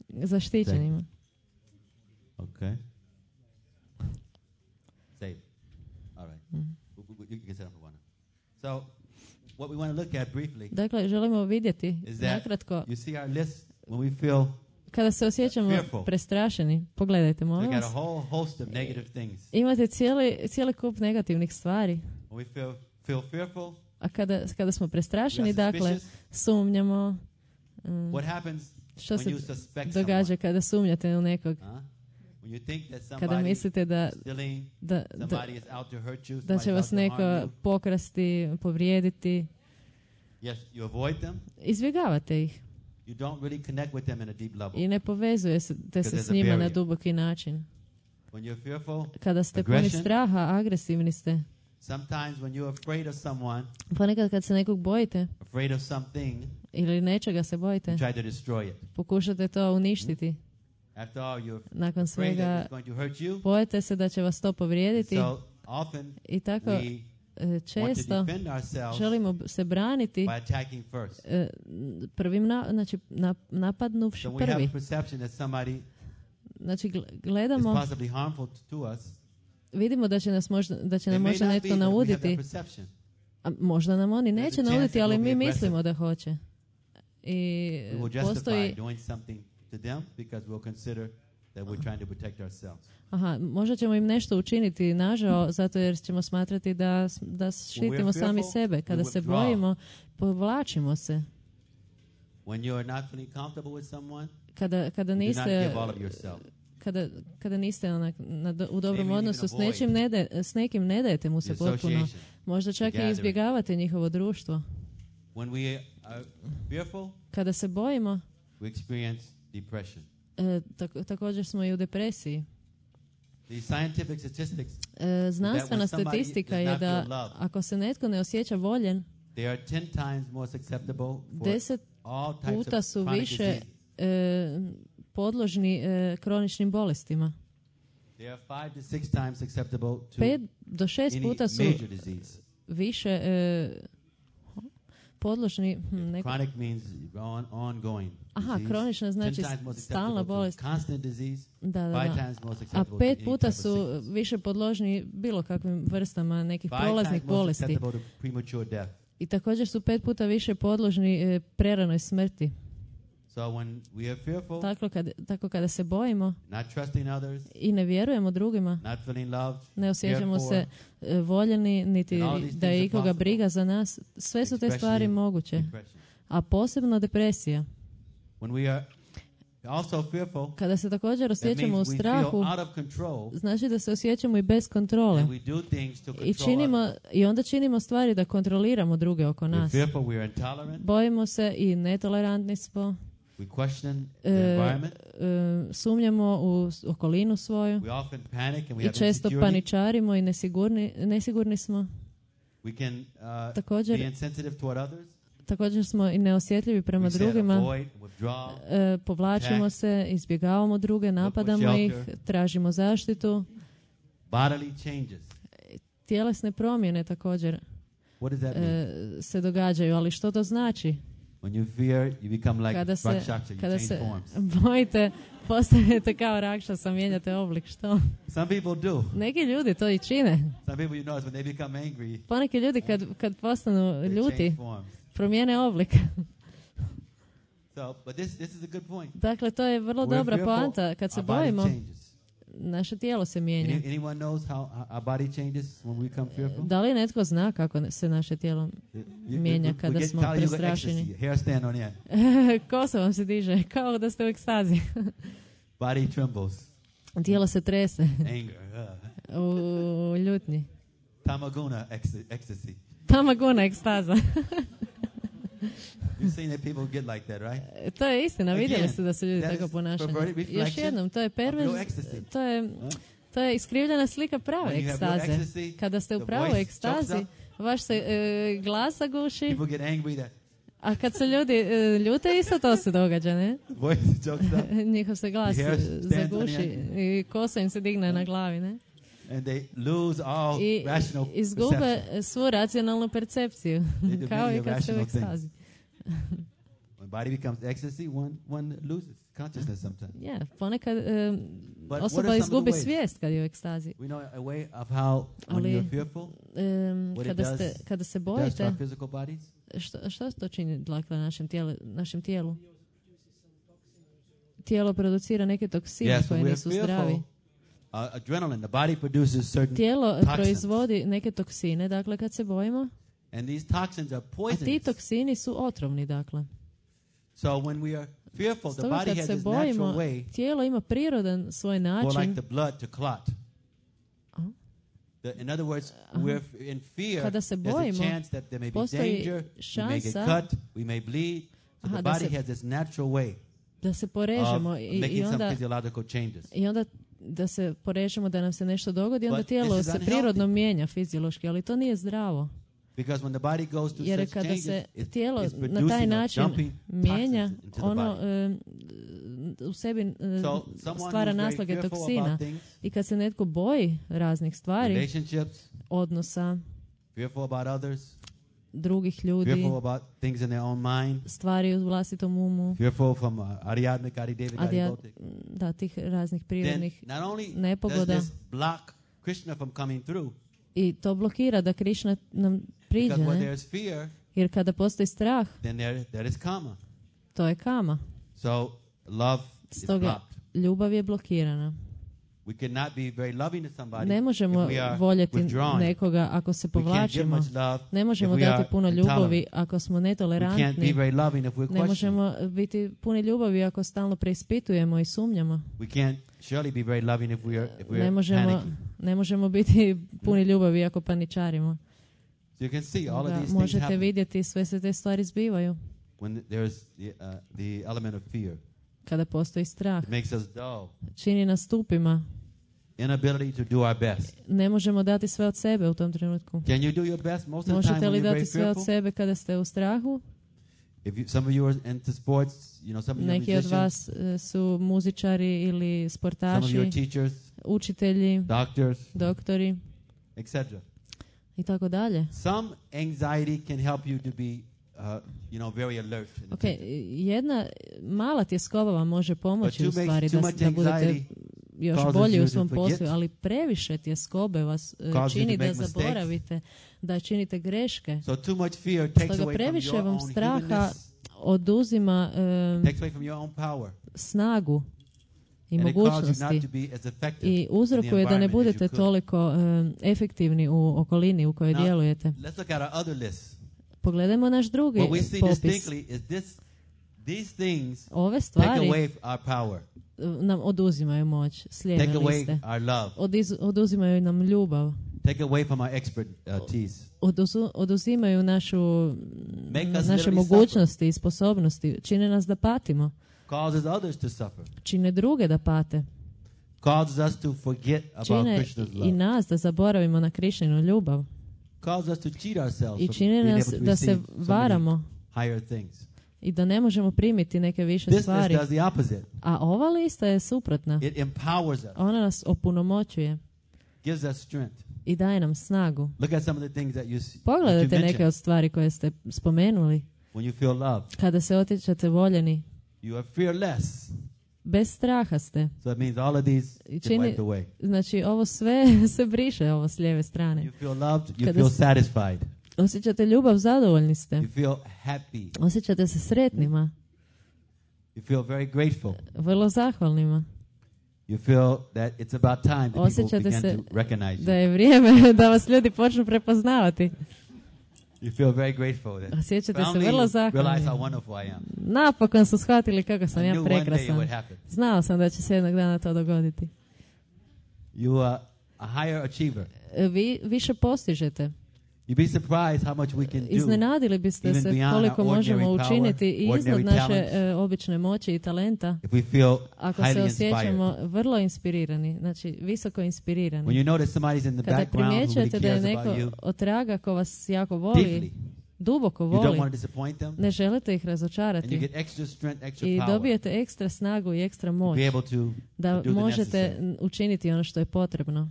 Speaker 2: Zaštićenima.
Speaker 1: Okay. Safe. All right. You can set up one. So, what we want to look at briefly.
Speaker 2: Dakle, želimo vidjeti nakratko.
Speaker 1: You see our list when we feel
Speaker 2: kada se osjećamo prestrašeni. Pogledajte, molim vas. Imate cijeli kup negativnih stvari.
Speaker 1: When we feel fearful.
Speaker 2: A kada smo prestrašeni, dakle, sumnjamo. Što se događa kada sumnjate u nekog? Kada mislite da će vas neko pokrasti, povrijediti. Izbjegavate ih. I ne povezujete se s njima na duboki način. Kada ste puni straha, agresivni ste. Ponekad kad se nekog bojite, ili nečega se bojite, pokušate to uništiti. Nakon svega, bojite se da će vas to povrijediti. I tako često želimo se braniti prvim, napadnuvši prvi. Znači, gledamo, vidimo da će nam možda netko nauditi. A možda nam oni neće nauditi, ali mi mislimo da hoće. I
Speaker 1: we will
Speaker 2: postoji...
Speaker 1: justify doing something to them because we'll consider that we're trying to protect ourselves.
Speaker 2: Aha, možda ćemo im nešto učiniti nažao, zato jer ćemo smatrati da štitimo sami sebe. Kada se bojimo, povlačimo se.
Speaker 1: When you are not feeling comfortable with someone,
Speaker 2: kada niste kada niste u dobrom odnosu s nekim, ne dajete mu se potpuno. Možda čak i izbjegavate njihovo društvo.
Speaker 1: When we are fearful,
Speaker 2: kada se bojimo,
Speaker 1: we experience depression.
Speaker 2: Također smo i u depresiji.
Speaker 1: Znanstvena
Speaker 2: statistika je da ako se netko ne osjeća voljen, 10 puta su više podložni kroničnim bolestima. 5 do 6 puta su više podložni
Speaker 1: Chronic means ongoing.
Speaker 2: Aha, kronična znači stalna bolest.
Speaker 1: Constant disease.
Speaker 2: Da. A 5 puta su više podložni bilo kakvim vrstama nekih prolaznih bolesti. I također su 5 puta više podložni preranoj smrti.
Speaker 1: So when we are fearful,
Speaker 2: tako kada se bojimo
Speaker 1: not trusting others,
Speaker 2: i ne vjerujemo drugima,
Speaker 1: not feeling loved,
Speaker 2: ne osjećamo se voljeni, niti da je ikoga briga za nas, sve su te stvari moguće. A posebno depresija.
Speaker 1: When we are also fearful,
Speaker 2: kada se također osjećamo u strahu, znači da se osjećamo i bez kontrole. I onda činimo stvari da kontroliramo druge oko nas. Bojimo se i netolerantni smo. Sumnjamo u okolinu svoju i često paničarimo i nesigurni smo. Također smo i neosjetljivi prema drugima. Povlačimo se, izbjegavamo druge, napadamo ih, tražimo zaštitu. Tjelesne promjene također se događaju, ali što to znači? Kada se bojite, postanete kao Rakšasa, mijenjate oblik, što? Neki ljudi to i čine. Poneki ljudi kad postanu ljuti, promijene oblik. Dakle, to je vrlo dobra poanta. Kad se bojimo, naše tijelo se mijenja. Da li netko zna kako se naše tijelo mijenja kada smo prestrašeni? Kosa vam se diže, kao da ste u ekstazi. Tijelo se trese. U ljutnji. Tamaguna ekstaza.
Speaker 1: You've seen that people get like that, right?
Speaker 2: To je istina, vidjeli ste da se ljudi tako ponašaju. Još jednom, to je to je iskrivljena slika prave ekstaze. Kada ste u pravoj ekstazi, vaš se glas zaguši. A kad se ljudi ljute, isto to se događa, ne? Njihov se glas zaguši i kosa im se digne na glavi, ne? I izgube svu racionalnu percepciju, kao i kad se u ekstazi.
Speaker 1: When body becomes ecstasy, one loses consciousness sometimes.
Speaker 2: Yeah, ponekad osoba izgubi svijest kad je u ekstazi.
Speaker 1: We know a way of how when you're fearful,
Speaker 2: kada se bojite, što to čini dakle našem tijelu? Tijelo producira neke toksine koje nisu zdravi.
Speaker 1: Adrenaline, the body produces certain
Speaker 2: tijelo proizvodi neke toksine, dakle kad se bojimo.
Speaker 1: And these toxins are poisonous.
Speaker 2: A ti toksini su otrovni, dakle.
Speaker 1: So when we are fearful, the body has this natural way.
Speaker 2: Tijelo ima prirodan svoj način.
Speaker 1: For like the blood to clot. In other words, we're in fear. There's a chance that there may be danger. We may get cut. We may bleed. So the body has this natural way.
Speaker 2: Da se porežemo
Speaker 1: i
Speaker 2: onda da se porežemo da nam se nešto dogodi, onda tijelo se prirodno mijenja fiziološki, ali to nije zdravo. Jer kada se tijelo na taj način mijenja, ono u sebi stvara naslage toksina. I kad se netko boji raznih stvari, odnosa, drugih ljudi, stvari u vlastitom umu, tih raznih prirodnih nepogoda. I to blokira da Krishna nam priđe, ne? Jer kada postoji strah, To je kama.
Speaker 1: So love is blocked.
Speaker 2: Ljubav je blokirana.
Speaker 1: We cannot be very loving to somebody.
Speaker 2: Ne možemo voljeti nekoga ako se povlačimo. Ne možemo dati puno ljubavi ako smo netolerantni. Ne možemo biti puni ljubavi ako stalno preispitujemo i sumnjamo. Ne možemo biti puni ljubavi ako paničarimo. Možete vidjeti, sve se te stvari zbivaju. Kada postoji strah, čini nas tupima. Ne možemo dati sve od sebe u tom trenutku. Možete li dati sve od sebe kada ste u strahu? Neki od vas su muzičari ili sportaši, učitelji, doktori, i tako dalje. Jedna mala tjeskoba vam može pomoći u stvari da budete još bolji u svom poslu, ali previše tjeskobe vas čini da zaboravite, da činite greške. Stoga previše vam straha oduzima snagu i mogućnosti i uzrokuje da ne budete toliko efektivni u okolini u kojoj djelujete. Pogledajmo naš drugi popis. Ove stvari nam oduzimaju moć s lijeve liste. Oduzimaju nam ljubav. Oduzimaju naše mogućnosti i sposobnosti. Čine nas da patimo. Čine druge da pate. Čine i nas da zaboravimo na Krišninu ljubav. I čine nas da se varamo i da ne možemo primiti neke više stvari. A ova lista je suprotna. Ona nas opunomoćuje i daje nam snagu. Pogledajte neke od stvari koje ste spomenuli. Kada se osjećate voljeni, bez straha ste. Znači ovo sve se briše, ovo s lijeve strane. Osjećate ljubav, zadovoljni ste. Osjećate se sretnima. Vrlo zahvalnima. Osjećate se da je vrijeme da vas ljudi počnu prepoznavati. Osjećate se vrlo zahvalni. Napokon su shvatili kako sam ja prekrasan. Znao sam da će se jednog dana to dogoditi. Vi više postižete. Iznenadili biste se koliko možemo učiniti i iznad naše obične moći i talenta ako se osjećamo vrlo inspirirani, znači visoko inspirirani. Kada primjećujete da je neko otraga ko vas jako voli, duboko voli, ne želite ih razočarati i dobijete ekstra snagu i ekstra moć da možete učiniti ono što je potrebno.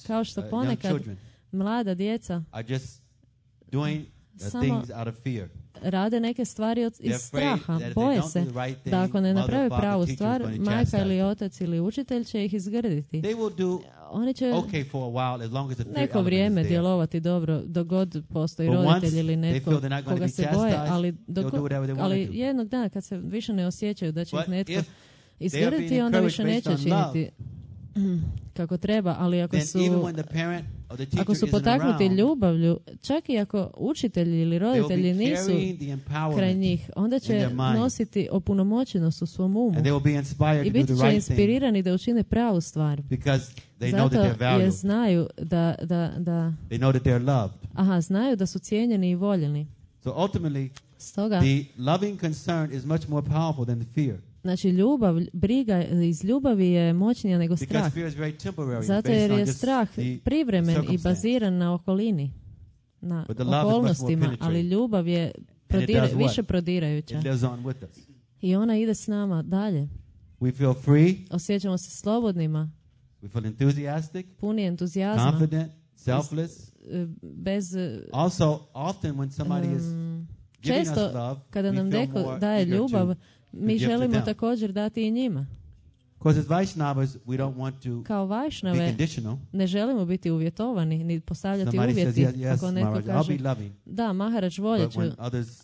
Speaker 2: Kao što ponekad mlada djeca samo rade neke stvari iz straha. Boje se da ako ne naprave pravu stvar, majka ili otac ili učitelj će ih izgrditi. Oni će neko vrijeme djelovati dobro dok god postoji roditelj ili netko koga se boje, ali jednog dana kad se više ne osjećaju da će ih netko izgrditi, onda više neće činiti kako treba, ali ako su potaknuti ljubavlju, čak i ako učitelji ili roditelji nisu kraj njih, onda će nositi opunomoćenost u svom umu i biti će inspirirani da učine pravu stvar. Zato jer znaju znaju da su cijenjeni i voljeni. Stoga, znači briga iz ljubavi je moćnija nego strah. Zato jer je strah privremen i baziran na okolini, na okolnostima, ali ljubav je više prodirajuća. I ona ide s nama dalje. Osjećamo se slobodnima, puni entuzijazma, bez... Često kada nam neko daje ljubav, mi želimo također dati i njima. Kao Vajšnave ne želimo biti uvjetovani, ni postavljati uvjeti. Ako neko kaže, da, Maharaj, voljet ću,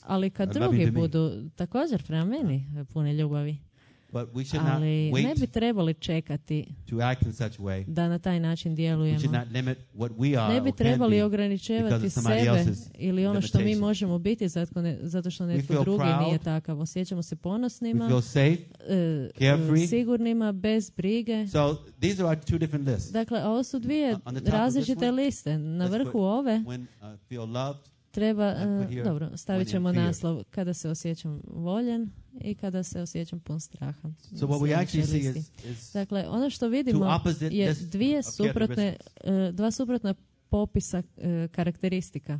Speaker 2: ali kad drugi budu također prema meni puni ljubavi. Ali ne bi trebali čekati da na taj način djelujemo. Ne bi trebali ograničevati sebe ili ono što mi možemo biti zato što netko drugi nije takav. Osjećamo se ponosnima, sigurnima, bez brige. Dakle, ovo su dvije različite liste. Na vrhu ove treba, dobro, stavit ćemo naslov kada se osjećam voljen i kada se osjećam pun straha. Dakle, ono što vidimo je dva suprotna popisa karakteristika.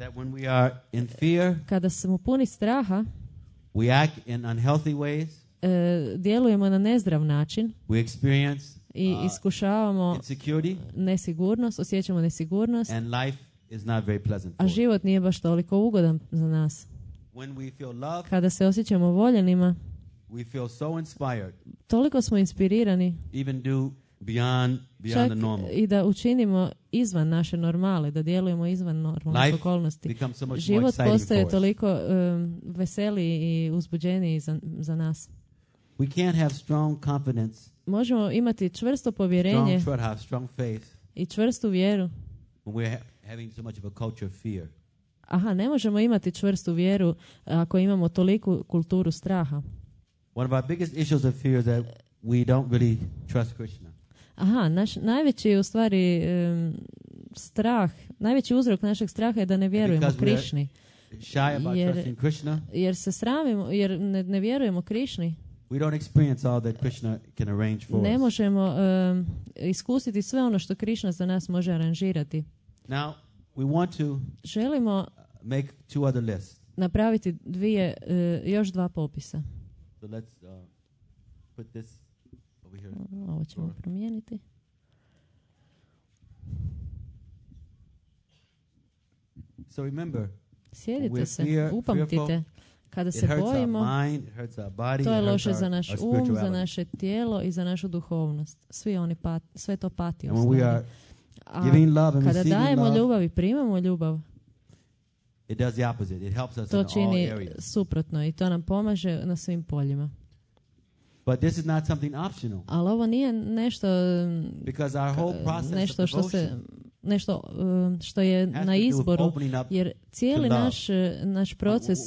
Speaker 2: Kada smo puni straha, djelujemo na nezdrav način i iskušavamo nesigurnost, osjećamo nesigurnost, a život nije baš toliko ugodan za nas. Kada se osjećamo voljenima, toliko smo inspirirani čak i da učinimo izvan naše normale, da djelujemo izvan normalnih okolnosti. Život postaje toliko veseliji i uzbuđeniji za nas. Možemo imati čvrsto povjerenje i čvrstu vjeru. Ne možemo imati čvrstu vjeru ako imamo toliku kulturu straha. Naš najveći u stvari strah, najveći uzrok našeg straha je da ne vjerujemo Krišni. Jer se sramimo, jer ne vjerujemo Krišni. Ne možemo iskusiti sve ono što Krišna za nas može aranžirati.
Speaker 1: Now, we want to
Speaker 2: želimo
Speaker 1: make two other lists.
Speaker 2: Napraviti još dva popisa.
Speaker 1: So let's put this over here.
Speaker 2: Ovo ćemo promijeniti.
Speaker 1: So remember,
Speaker 2: sjedite se, upamtite, kada se bojimo, to je loše za naš za naše tijelo i za našu duhovnost. Sve to pati. Kada dajemo ljubav i primamo ljubav, to čini suprotno i to nam pomaže na svim poljima. Ali ovo nije nešto što je na izboru, jer cijeli naš proces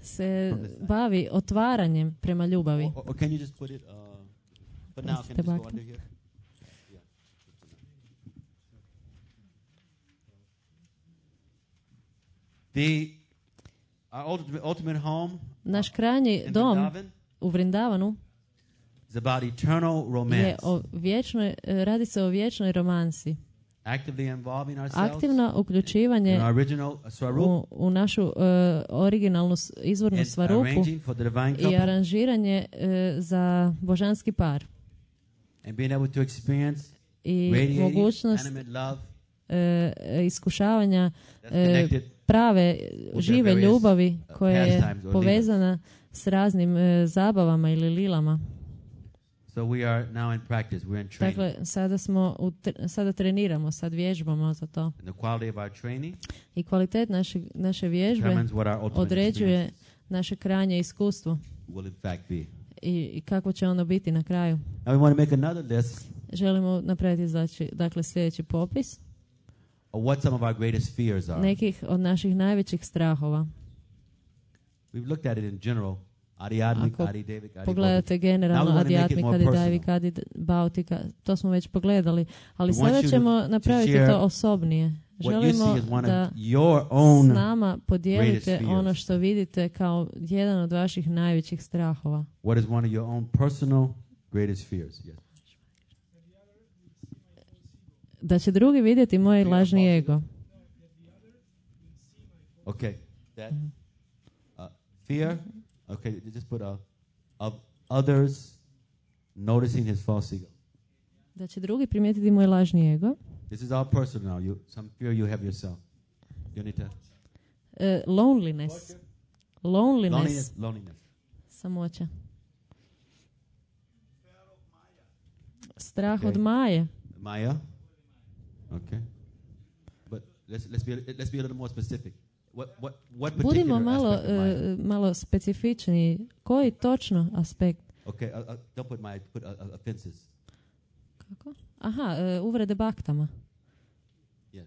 Speaker 2: se bavi otvaranjem prema ljubavi.
Speaker 1: But now can you just go under here? Our ultimate home,
Speaker 2: naš krajnji dom u Vrindavanu je radi se o vječnoj romansi. Aktivno uključivanje u našu originalnu izvornu svarupu i aranžiranje za božanski par. I mogućnost iskušavanja prave žive ljubavi koja je povezana s raznim zabavama ili lilama. Dakle, sada treniramo, sad vježbamo za to. I kvalitet naše vježbe određuje naše krajnje iskustvo. I kako će ono biti na kraju. Želimo napraviti sljedeći popis nekih od naših najvećih strahova. Ako pogledate generalno Adhyatmika, Adidavika, Adibautika, to smo već pogledali, ali sada ćemo napraviti to osobnije. Želimo da s nama podijelite ono što vidite kao jedan od vaših najvećih strahova.
Speaker 1: What is one of your own personal greatest fears? Yes.
Speaker 2: Da će drugi vidjeti moj lažni ego.
Speaker 1: Okay. That fear. Okay, just put of others noticing his false ego.
Speaker 2: Da će drugi primijetiti moj lažni ego.
Speaker 1: This is all personal. Some fear you have yourself. Yonita?
Speaker 2: Loneliness.
Speaker 1: Loneliness.
Speaker 2: Samoća. Strah od Maje.
Speaker 1: Maya? Okay. But let's be a little more specific. What
Speaker 2: Budimo
Speaker 1: particular
Speaker 2: malo specifičniji. Koji točno aspekt?
Speaker 1: Okay, don't put Maya, put offenses.
Speaker 2: Kako? Aha, uvrede baktama.
Speaker 1: Yes.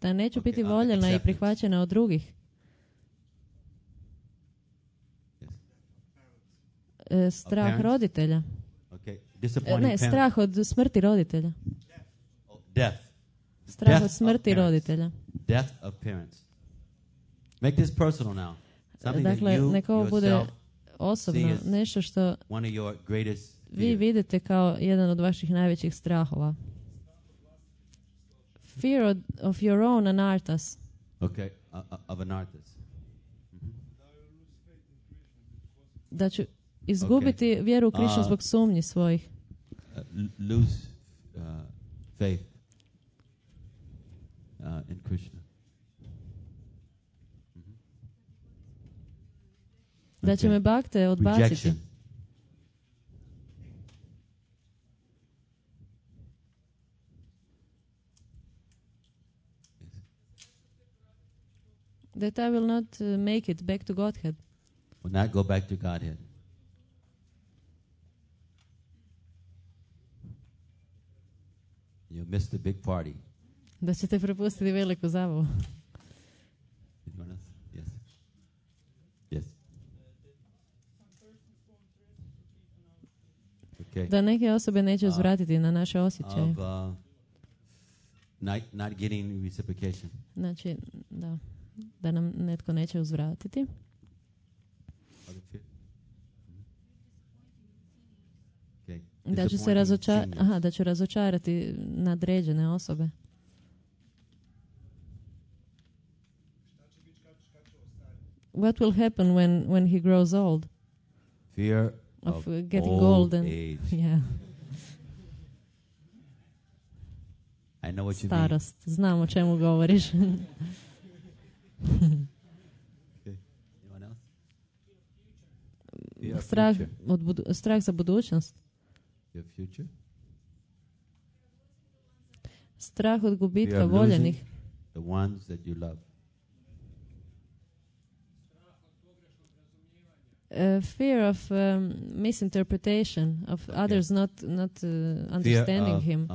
Speaker 2: Da neću biti voljena i prihvaćena od drugih. Strah roditelja. Ne, strah od smrti roditelja.
Speaker 1: Death.
Speaker 2: Strah od smrti roditelja.
Speaker 1: Death of parents. Make this personal now.
Speaker 2: Dakle, neka ovo bude osobno, nešto što vi vidite kao jedan od vaših najvećih strahova. Fear of your own anarthas.
Speaker 1: Okay, of anarthas.
Speaker 2: Da ću izgubiti vjeru u Krishnu zbog sumnji svojih.
Speaker 1: Lose faith in Krishna.
Speaker 2: Da će me bhakte odbaciti.
Speaker 1: Rejection.
Speaker 2: That I will not make it back to Godhead.
Speaker 1: Will not go back to Godhead. You'll miss the big party.
Speaker 2: Da ćete propustiti veliku zabavu.
Speaker 1: Yes. Yes. Okay.
Speaker 2: Da neke osobe neće uzvratiti na naše osjećaje.
Speaker 1: Not getting reciprocation.
Speaker 2: Znači, da nam netko neće uzvratiti. Da ću se da ću razočarati nadređene osobe. What will happen when he grows old?
Speaker 1: Fear
Speaker 2: of getting old and
Speaker 1: age.
Speaker 2: Yeah.
Speaker 1: I know what you
Speaker 2: Starost. Mean. Znam o čemu govoriš.
Speaker 1: Okay. Anyone else?
Speaker 2: Strah za budućnost.
Speaker 1: Your future?
Speaker 2: Strah od gubitka voljenih.
Speaker 1: The ones that you love.
Speaker 2: Fear of misinterpretation of others not understanding
Speaker 1: of,
Speaker 2: him.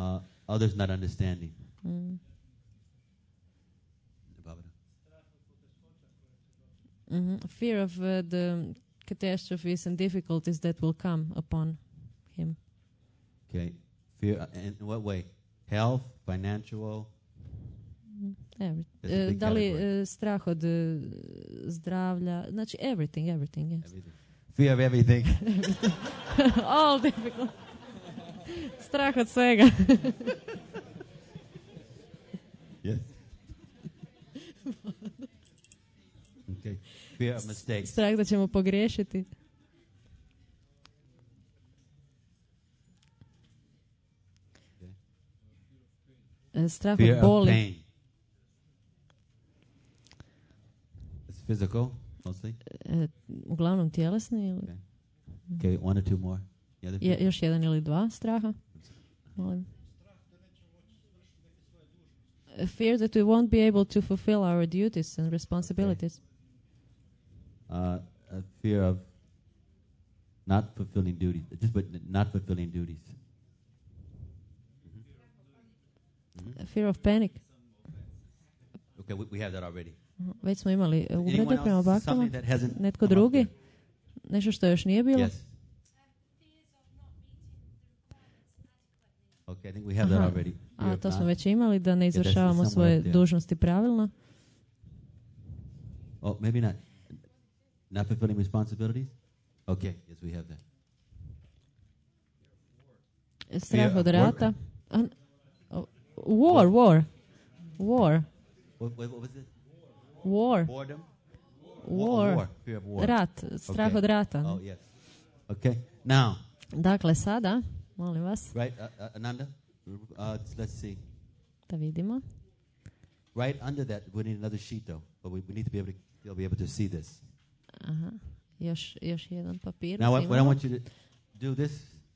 Speaker 1: Others not understanding.
Speaker 2: Fear of the catastrophes and difficulties that will come upon him.
Speaker 1: Okay. Fear in what way? Health, financial.
Speaker 2: Da li strah od zdravlja, znači everything, yes.
Speaker 1: Everything. Fear of everything.
Speaker 2: All difficult. Strah od svega.
Speaker 1: Yes. Okay. Fear of mistakes.
Speaker 2: Strah da ćemo pogriješiti. Strah od boli.
Speaker 1: Pain. It's physical, mostly.
Speaker 2: Uglavnom tjelesni ili?
Speaker 1: Okay, one or two more.
Speaker 2: Još jedan ili dva straha. Molim. Fear that we won't be able to fulfill our duties and responsibilities.
Speaker 1: A fear of not fulfilling duties, not fulfilling duties.
Speaker 2: A fear of panic.
Speaker 1: Okay, we have that already.
Speaker 2: Već smo imali uvrede prema baktama. Netko drugi? Nešto što još nije bilo?
Speaker 1: Yes. Okay, I think we have that already.
Speaker 2: A to smo već imali, da ne izvršavamo svoje dužnosti pravilno.
Speaker 1: Oh, maybe not. Not fulfilling responsibilities? Okay, yes, we have that.
Speaker 2: Strah od rata. War.
Speaker 1: What was it?
Speaker 2: War.
Speaker 1: Boredom?
Speaker 2: War.
Speaker 1: Fear of war.
Speaker 2: Rat. Strah od rata.
Speaker 1: Oh, yes. Okay, now.
Speaker 2: Dakle, sada, molim vas.
Speaker 1: Right, Ananda? Let's see.
Speaker 2: Da vidimo.
Speaker 1: Right under that, we need another sheet though, but we need to be able to see this.
Speaker 2: Aha. Još jedan papir.
Speaker 1: Now what I want you to do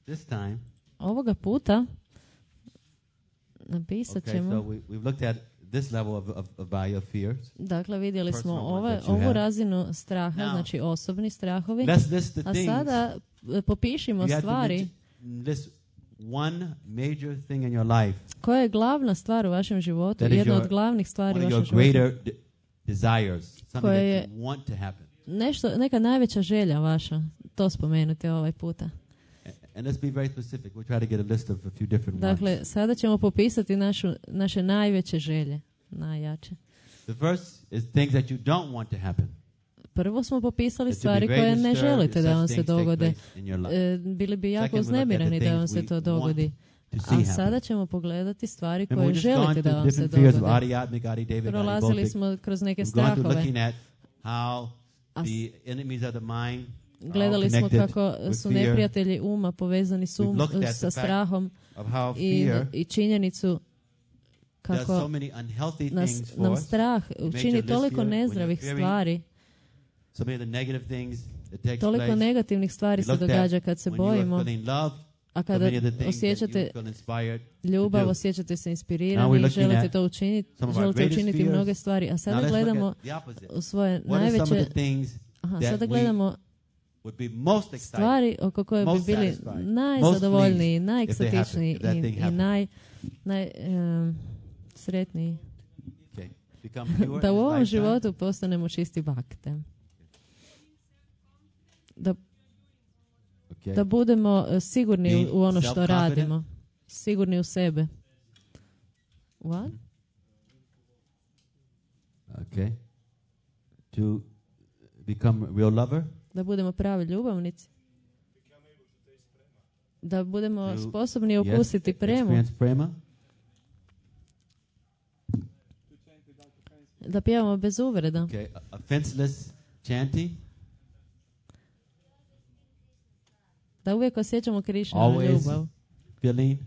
Speaker 1: this time.
Speaker 2: Ovoga puta napisat ćemo.
Speaker 1: Okay, so we've looked at this level of your fears.
Speaker 2: Dakle, vidjeli smo ovu razinu straha, znači osobni strahovi. A sada popišimo stvari.
Speaker 1: One major thing in your life.
Speaker 2: Koja je glavna stvar u vašem životu? Jedna od glavnih stvari u vašem životu.
Speaker 1: Desires,
Speaker 2: koja je
Speaker 1: that you want to happen.
Speaker 2: Neka najveća želja vaša. To spomenute ovaj puta.
Speaker 1: And let's be very specific. We'll try to get a list of a few different
Speaker 2: Dakle, sada ćemo popisati naše najveće želje, najjače.
Speaker 1: The first is things that you don't want to happen.
Speaker 2: Prvo smo popisali stvari koje ne želite da vam se dogode. Bili bi jako uznemireni da vam se to dogodi. A sada ćemo pogledati stvari koje želite da vam se dogode. Prolazili smo kroz neke strahove. Gledali smo kako su neprijatelji uma povezani sa strahom i činjenicu kako nam strah učini toliko nezdravih stvari. Toliko negativnih stvari se događa kad se bojimo, a kada osjećate ljubav, osjećate se inspirirani i želite to učiniti, želite učiniti mnoge stvari. A sada gledamo u svoje najveće, sada gledamo stvari oko koje bi bili najzadovoljniji, najekstatičniji i najsretniji. Da u ovom životu postanemo čisti bakte. Da budemo sigurni u ono što radimo. Sigurni u sebe. What?
Speaker 1: Okay. To become a real lover.
Speaker 2: Da budemo pravi ljubavnici. Da budemo sposobni okusiti premu. Da pjevamo bez uvreda.
Speaker 1: Okay. Offenseless chanting.
Speaker 2: Da uvijek osjećamo Krišninu ljubav.
Speaker 1: Feeling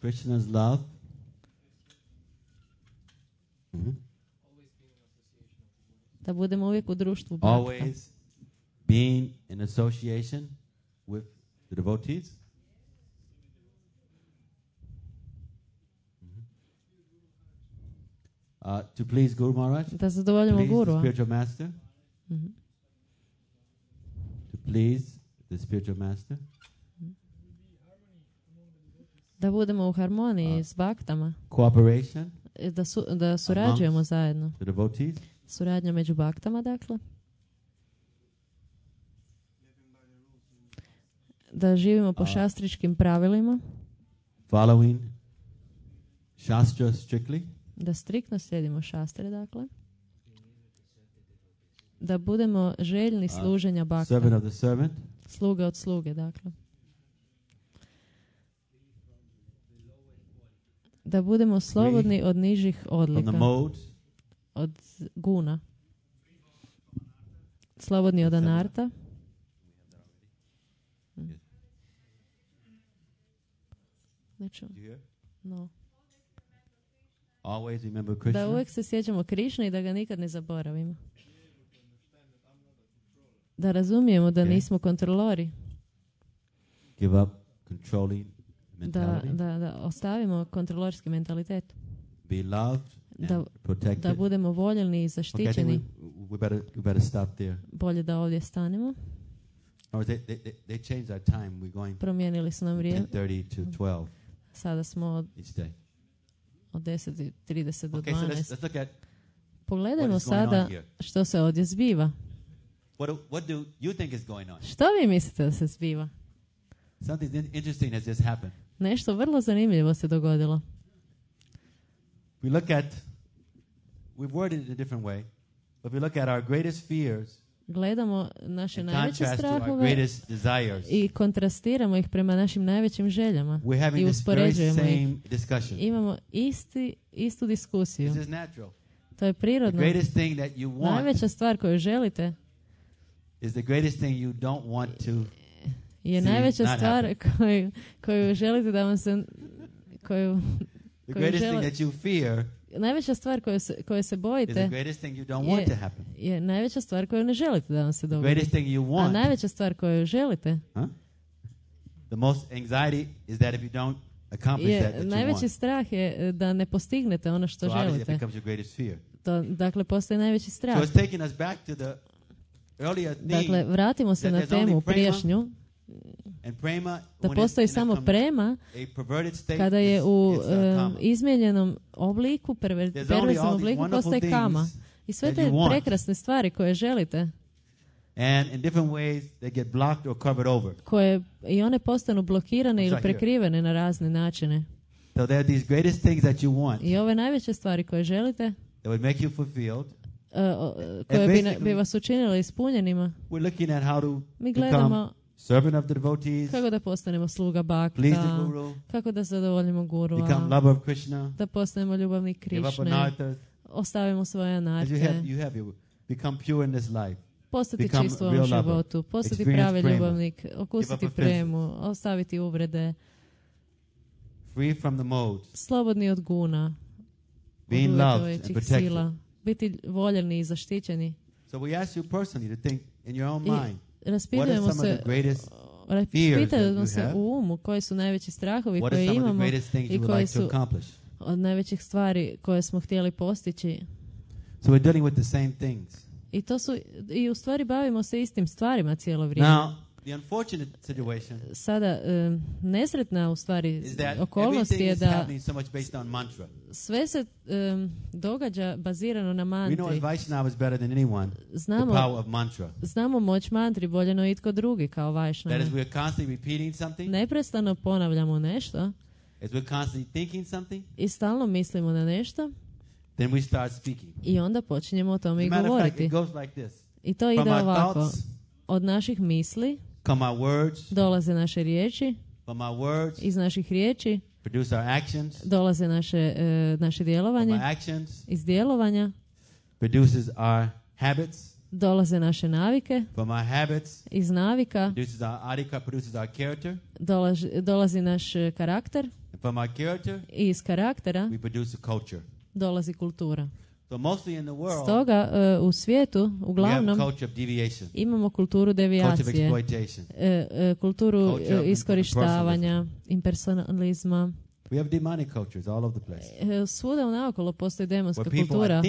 Speaker 1: Krishna's love.
Speaker 2: Da budemo uvijek u društvu brakta.
Speaker 1: Always being in association with the devotees. To please Guru Maharaj.
Speaker 2: Da zadovoljimo Gurua.
Speaker 1: Spiritual master. To please the spiritual master.
Speaker 2: Da budemo u harmoniji s baktama.
Speaker 1: Cooperation.
Speaker 2: Da surađujemo zajedno.
Speaker 1: The devotees.
Speaker 2: Suradnja među baktama, dakle. Da živimo po šastričkim pravilima.
Speaker 1: Following Shastra strictly.
Speaker 2: Da striktno slijedimo šastre, dakle. Da budemo željni služenja bakta.
Speaker 1: Servant of the servant.
Speaker 2: Sluga od sluge, dakle. Da budemo slobodni od nižih odlika. Od guna. Slobodni od anarta. Neću. No. Da uvijek se sjećamo Krišne i da ga nikad ne zaboravimo. Da razumijemo da nismo kontrolori.
Speaker 1: Give up controlling mentality.
Speaker 2: Da ostavimo kontrolorski mentalitet.
Speaker 1: Be loved and protected.
Speaker 2: Da budemo voljeni i zaštićeni.
Speaker 1: Okay, we better stop there.
Speaker 2: Bolje da ovdje stanemo.
Speaker 1: They changed our time. We're going.
Speaker 2: Promijenili su nam vrijeme.
Speaker 1: 10:30 to 12.
Speaker 2: Sada smo od 10:30 do 12.
Speaker 1: So let's look at.
Speaker 2: Pogledajmo sada što se ovdje zbiva.
Speaker 1: What do you think is going on?
Speaker 2: Što vi mislite da se zbiva?
Speaker 1: Something interesting has just happened.
Speaker 2: Nešto vrlo zanimljivo se dogodilo.
Speaker 1: We worded it a different way, but we look at our greatest fears.
Speaker 2: Gledamo naše najveće strahove i kontrastiramo ih prema našim najvećim željama i uspoređujemo ih. Imamo istu diskusiju. To je prirodno. Najveća stvar koju želite je najveća stvar koju želite da vam se najveća stvar koje se bojite je najveća stvar koju ne želite da vam se dogodi. A najveća stvar koju želite
Speaker 1: the most anxiety is that if you don't accomplish that you
Speaker 2: najveći
Speaker 1: want.
Speaker 2: Strah je da ne postignete ono što želite. Dakle, postoji najveći strah.
Speaker 1: So it's taking us back to the earlier theme.
Speaker 2: Dakle, vratimo se na temu prijašnju. Da postoji samo prema kada je u izmijenjenom obliku, perverznom obliku, postoji kama. I sve te prekrasne stvari koje želite,
Speaker 1: and in different ways they get blocked or covered over.
Speaker 2: Koje i one postanu blokirane ili prekrivene na razne načine.
Speaker 1: So there are these greatest things that you want.
Speaker 2: I ove najveće stvari koje želite,
Speaker 1: that would make you fulfilled.
Speaker 2: Koje bi vas učinile ispunjenima.
Speaker 1: We're looking at how to
Speaker 2: mi gledamo
Speaker 1: servant of the devotees,
Speaker 2: kako da postanemo sluga bakta, kako da zadovoljimo gurua,
Speaker 1: become lover of Krishna,
Speaker 2: da postanemo ljubavnik Krišne, ostavimo svoje anarte,
Speaker 1: become pure in this life,
Speaker 2: postati čist u ovom životu, postati pravi ljubavnik, okusiti premu, ostaviti uvrede,
Speaker 1: free from the modes,
Speaker 2: slobodni od guna,
Speaker 1: being loved and protected,
Speaker 2: biti voljeni i zaštićeni.
Speaker 1: So we ask you personally to think in your own mind.
Speaker 2: Raspitujemo se u umu koji su najveći strahovi koje imamo i koji su od najvećih stvari koje smo htjeli postići.
Speaker 1: So we're dealing with the same things.
Speaker 2: I u stvari bavimo se istim stvarima cijelo vrijeme.
Speaker 1: Now, the unfortunate situation
Speaker 2: sada nesretna u stvari okolnost je da sve se događa bazirano na mantri.
Speaker 1: We know Vaishnavas better than anyone.
Speaker 2: Znamo moć mantri bolje no itko drugi kao Vaishnava.
Speaker 1: That is, we are constantly repeating something.
Speaker 2: Neprestano ponavljamo nešto.
Speaker 1: As we're constantly thinking something.
Speaker 2: I stalno mislimo na nešto.
Speaker 1: Then we start speaking.
Speaker 2: I onda počinjemo o tome i govoriti.
Speaker 1: It goes like this.
Speaker 2: I to ide ovako. Od naših misli
Speaker 1: come our words,
Speaker 2: dolaze naše riječi,
Speaker 1: from our words,
Speaker 2: iz naših riječi
Speaker 1: produce our actions,
Speaker 2: dolaze naše djelovanje, iz djelovanja
Speaker 1: produces our habits,
Speaker 2: dolaze naše navike,
Speaker 1: from our habits,
Speaker 2: iz navika
Speaker 1: produces our adhika, produces our character,
Speaker 2: dolazi naš karakter,
Speaker 1: and from our character,
Speaker 2: i iz karaktera
Speaker 1: we produce a culture.
Speaker 2: Dolazi kultura.
Speaker 1: So mostly in the world,
Speaker 2: stoga u svijetu uglavnom imamo kulturu devijacije, kulturu iskorištavanja, impersonalizma.
Speaker 1: We have demonic cultures all over the place.
Speaker 2: Svuda naokolo postoji demonska kultura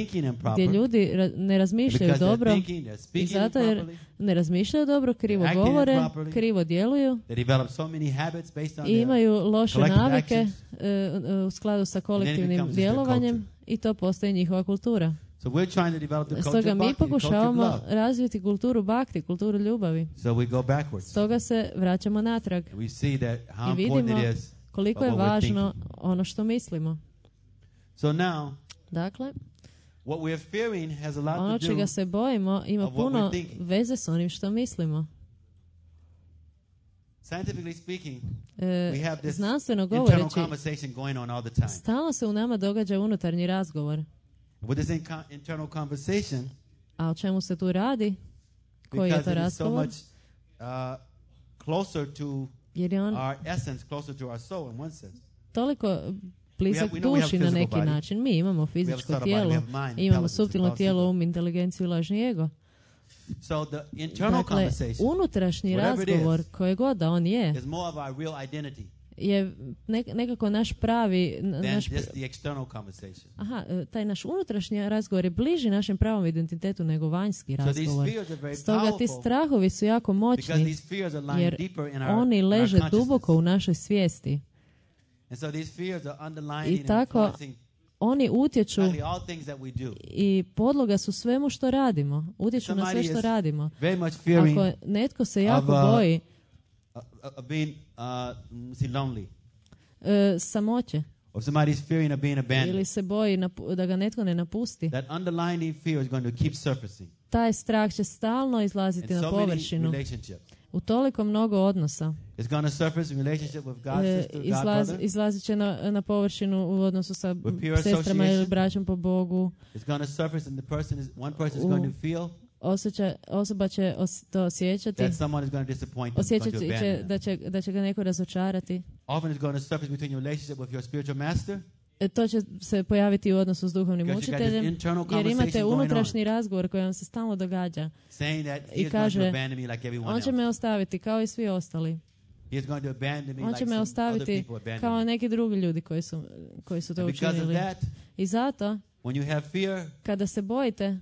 Speaker 2: gdje ljudi ne razmišljaju dobro i zato jer ne razmišljaju dobro, krivo govore, krivo djeluju i imaju loše navike u skladu sa kolektivnim djelovanjem i to postaje njihova kultura. Stoga mi pokušavamo razviti kulturu bhakti, kulturu ljubavi. Stoga se vraćamo natrag i vidimo koliko je važno ono što mislimo. Dakle, ono čega se bojimo ima puno veze s onim što mislimo. Znanstveno govoreći, stalno se u nama događa unutarnji razgovor. A o čemu se tu radi? Koji je to razgovor? Jer je on toliko blizak duši na neki način. Mi imamo fizičko tijelo, imamo suptilno tijelo, inteligenciju i lažni ego. Dakle, unutrašnji razgovor, koje god da on je nekako naš pravi... taj naš unutrašnji razgovor je bliži našem pravom identitetu nego vanjski razgovor. Stoga ti strahovi su jako moćni, jer oni leže duboko u našoj svijesti. I tako oni utječu i podloga su svemu što radimo. Utječu na sve što radimo. Ako netko se jako boji samoće ili se boji da ga netko ne napusti, taj strah će stalno izlaziti na površinu. U toliko mnogo odnosa. Izlazit će na površinu u odnosu sa sestrama ili braćom po Bogu. Osoba će to osjećati. Osjećat će da će ga neko razočarati. To će se pojaviti u odnosu s duhovnim učiteljem, jer imate unutrašnji razgovor koji vam se stalno događa. I kaže, on će me ostaviti kao i svi ostali. On će me ostaviti kao neki drugi ljudi koji su to učinili. I zato, kada se bojite,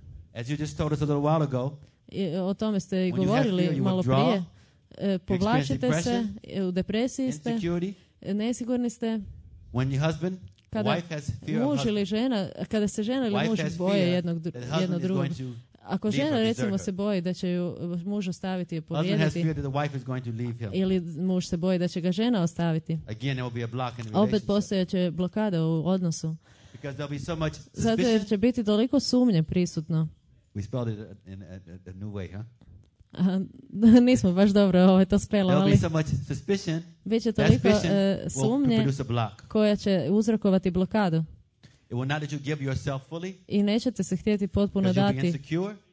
Speaker 2: o tome ste i govorili malo prije, povlačite se, u depresiji ste, nesigurni ste. Kada muž ili žena, kada se žena ili muž boje jedno drugog, ako žena recimo se boji da će ju muž ostaviti i povrijediti, ili muž se boji da će ga žena ostaviti, opet postojeće blokada u odnosu. Zato jer će biti toliko sumnje prisutno. Nismo baš dobro to spelovali. Biće toliko sumnje koja će uzrokovati blokadu. I nećete se htjeti potpuno dati.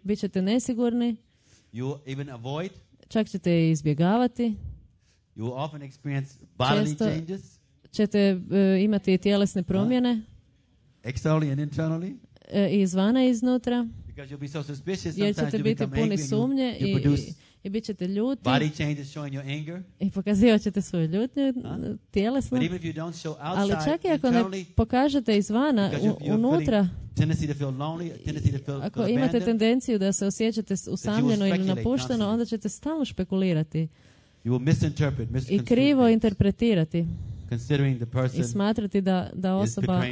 Speaker 2: Bićete nesigurni. Čak ćete izbjegavati. Često ćete imati tjelesne promjene. I izvana i iznutra. Jer ćete biti puni sumnje i bit ćete ljuti i pokazivat ćete svoju ljutnju tjelesno. Ali čak i ako ne pokažete izvana, unutra, ako imate tendenciju da se osjećate usamljeno ili napušteno, onda ćete stalno špekulirati i krivo interpretirati i smatrati da osoba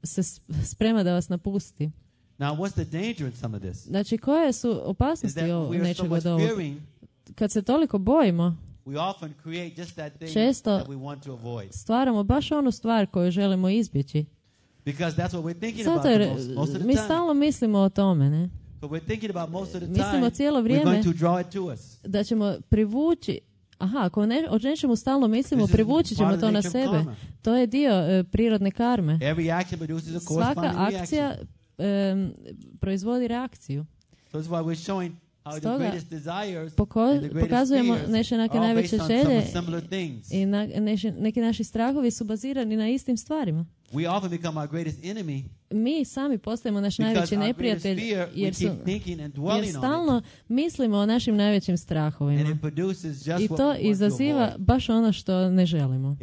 Speaker 2: se sprema da vas napusti.
Speaker 1: Now, what's the danger in some of this?
Speaker 2: Znači, koje su opasnosti nečeg od ovog? Kad se toliko bojimo, često stvaramo baš onu stvar koju želimo izbjeći. Zato jer mi stalno mislimo o tome, ne? Mislimo cijelo vrijeme da ćemo privući. Ako o nečemu stalno mislimo, privući ćemo to na sebe. To je dio prirodne karme. Svaka akcija proizvodi reakciju. Stoga pokazujemo naše najveće želje i neki naši strahovi su bazirani na istim stvarima. Mi sami postajemo naš najveći neprijatelj jer stalno mislimo o našim najvećim strahovima. I to izaziva baš ono što ne želimo.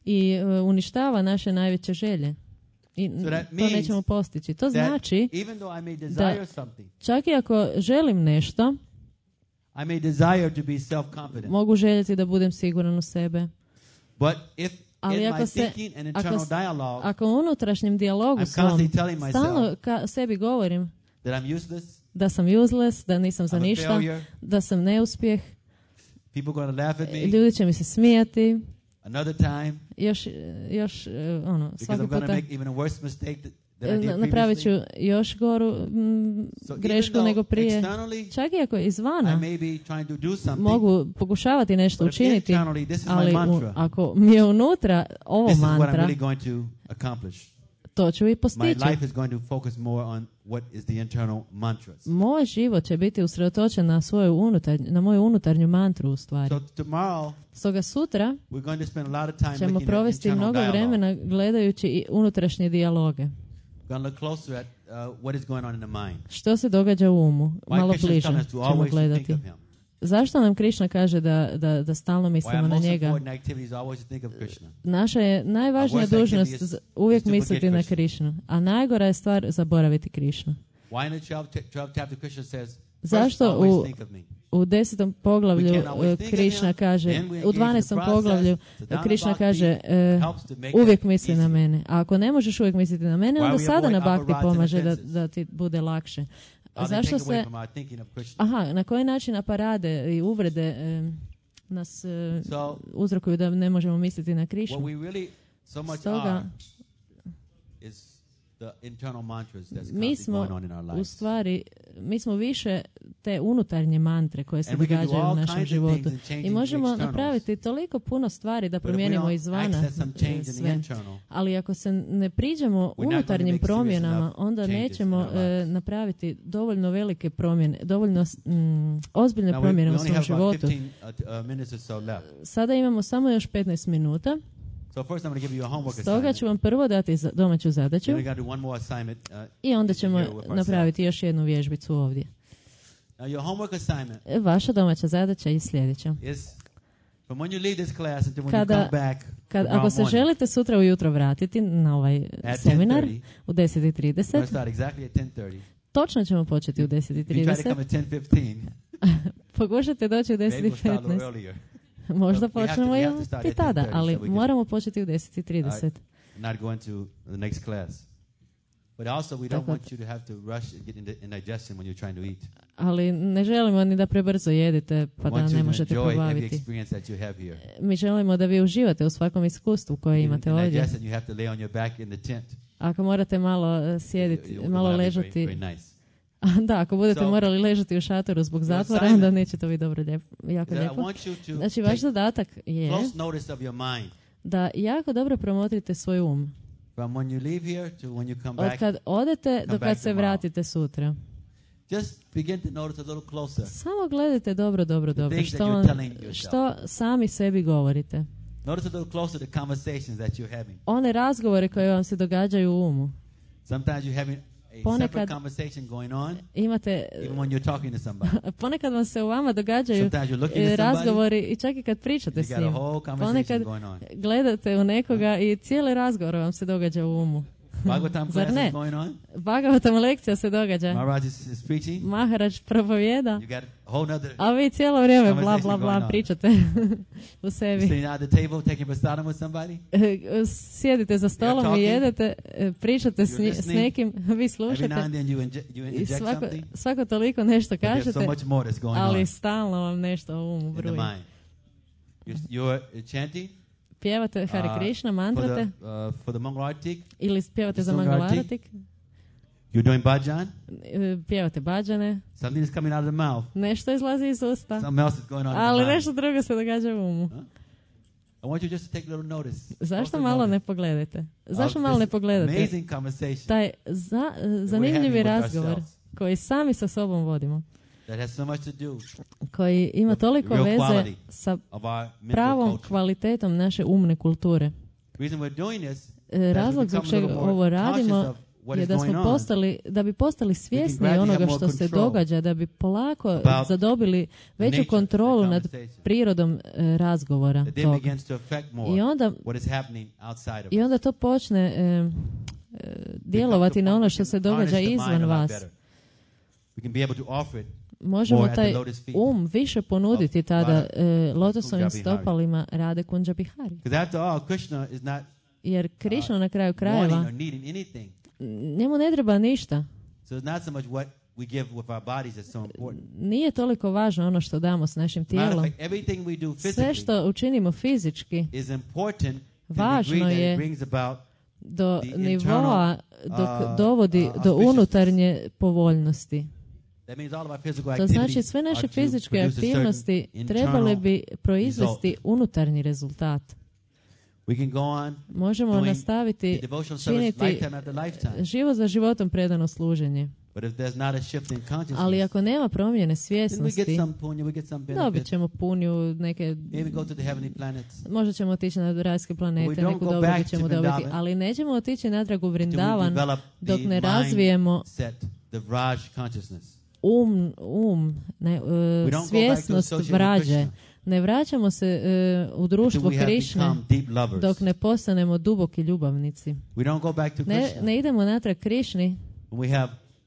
Speaker 2: I uništava naše najveće želje. I to nećemo postići. To znači da čak i ako želim nešto, mogu željeti da budem siguran u sebe. Ali ako u unutrašnjem dijalogu svom stalno sebi govorim da sam useless, da nisam za ništa, da sam neuspjeh, ljudi će mi se smijati, još svaki puta napravit ću još goru grešku nego prije. Čak i ako izvana mogu pokušavati nešto učiniti, ali ako mi je unutra ovo mantra, to ću i postići. Moj život će biti usredotočen na moju unutarnju mantru u stvari. Stoga sutra ćemo provesti mnogo vremena gledajući i unutrašnje dijaloge. Što se događa u umu? Malo bliže ćemo gledati. Zašto nam Krišna kaže da stalno mislimo na njega? Naša je najvažnija dužnost uvijek misliti na Krišnu, a najgora je stvar zaboraviti Krišnu. Zašto u 10. poglavlju Krišna kaže, u 12. poglavlju Krišna kaže uvijek misli na mene. A ako ne možeš uvijek misliti na mene, onda sadhana bhakti pomaže da ti bude lakše. Zašto se... na koji način aparade i uvrede nas uzrokuju da ne možemo misliti na Krišnu? Stoga mi smo više te unutarnje mantre koje se događaju u našem životu. I možemo napraviti toliko puno stvari da promijenimo izvana sve. Ali ako se ne priđemo unutarnjim promjenama, onda nećemo napraviti dovoljno velike promjene, dovoljno ozbiljne promjene u svom životu. Sada imamo samo još 15 minuta.
Speaker 1: So first I'm going to give you a homework
Speaker 2: Stoga
Speaker 1: assignment.
Speaker 2: ću vam prvo dati domaću zadaću
Speaker 1: Then we got to do one more assignment,
Speaker 2: i onda ćemo
Speaker 1: here with
Speaker 2: napraviti još jednu vježbicu ovdje.
Speaker 1: Now your homework assignment
Speaker 2: Vaša domaća zadaća je sljedeća.
Speaker 1: is from when you leave this class until when you come back.
Speaker 2: Ako se želite sutra ujutro vratiti na ovaj seminar u 10:30,
Speaker 1: exactly at 10:30.
Speaker 2: Točno ćemo početi u 10:30. Pokušajte doći u 10:15. Možda počnemo i tada, ali moramo početi u 10:30.
Speaker 1: Not going to the next class. But also we don't want you to have to rush and get indigestion when you're trying to eat.
Speaker 2: Ali ne želimo ni da prebrzo jedete pa da ne možete probaviti. Mi želimo da vi uživate u svakom iskustvu koje imate ovdje. Ako morate malo sjediti, malo ležati, da, ako budete morali ležati u šatoru zbog zatvora, onda neće to biti dobro, jako lijepo. Znači, vaš zadatak je da jako dobro promotrite svoj um. Od kad odete do kad se vratite sutra. Samo gledajte dobro, što sami sebi govorite. One razgovore koje vam se događaju u umu. Ponekad imate, ponekad vam se u vama događaju razgovori i čak i kad pričate s njim. Ponekad gledate u nekoga i cijeli razgovor vam se događa u umu. Zar ne? Bhagavatam lekcija se događa. Maharaj propovijeda, a vi cijelo vrijeme bla bla bla pričate u sebi. Sjedite za stolom i jedete, pričate s nekim, vi slušate i svako toliko nešto kažete, ali stalno vam nešto u umu bruji. Pjevate Hare Krishna, mantrate, ili pjevate za Mangalaratik.
Speaker 1: You're doing bhajan.
Speaker 2: Pjevate bhajane.
Speaker 1: Something is coming out of the mouth.
Speaker 2: Nešto izlazi iz usta.
Speaker 1: Something else is going on.
Speaker 2: Ali nešto drugo se događa u umu.
Speaker 1: I want you just to take a little notice.
Speaker 2: Zašto malo ne pogledate? Zašto malo ne pogledate?
Speaker 1: Amazing conversation.
Speaker 2: Taj zanimljivi razgovor koji sami sa sobom vodimo.
Speaker 1: That has so much to do
Speaker 2: koji ima toliko veze sa pravom kvalitetom naše umne kulture. Razlog zbog čega ovo radimo je da bi postali svjesni onoga što se događa, da bi polako zadobili veću kontrolu nad prirodom razgovora tog. I onda to počne djelovati na ono što se događa izvan vas. Možemo taj više ponuditi tada lotosovim stopalima Rade Kunđa Bihari. Jer Krishna na kraju krajeva njemu ne treba ništa. Nije toliko važno ono što damo s našim tijelom. Sve što učinimo fizički važno je do nivoa dok dovodi do unutarnje povoljnosti. To znači sve naše fizičke aktivnosti trebale bi proizvesti unutarnji rezultat. Možemo nastaviti činiti život za životom predano služenje. Ali ako nema promjene svjesnosti, dobit ćemo punju, možda ćemo otići na rajske planete, neku dobrobit ćemo dobiti, ali nećemo otići natrag u Vrindavan dok ne razvijemo svjesnost vrađe. Ne vraćamo se u društvo Krišne dok ne postanemo duboki ljubavnici. Ne idemo natrag Krišni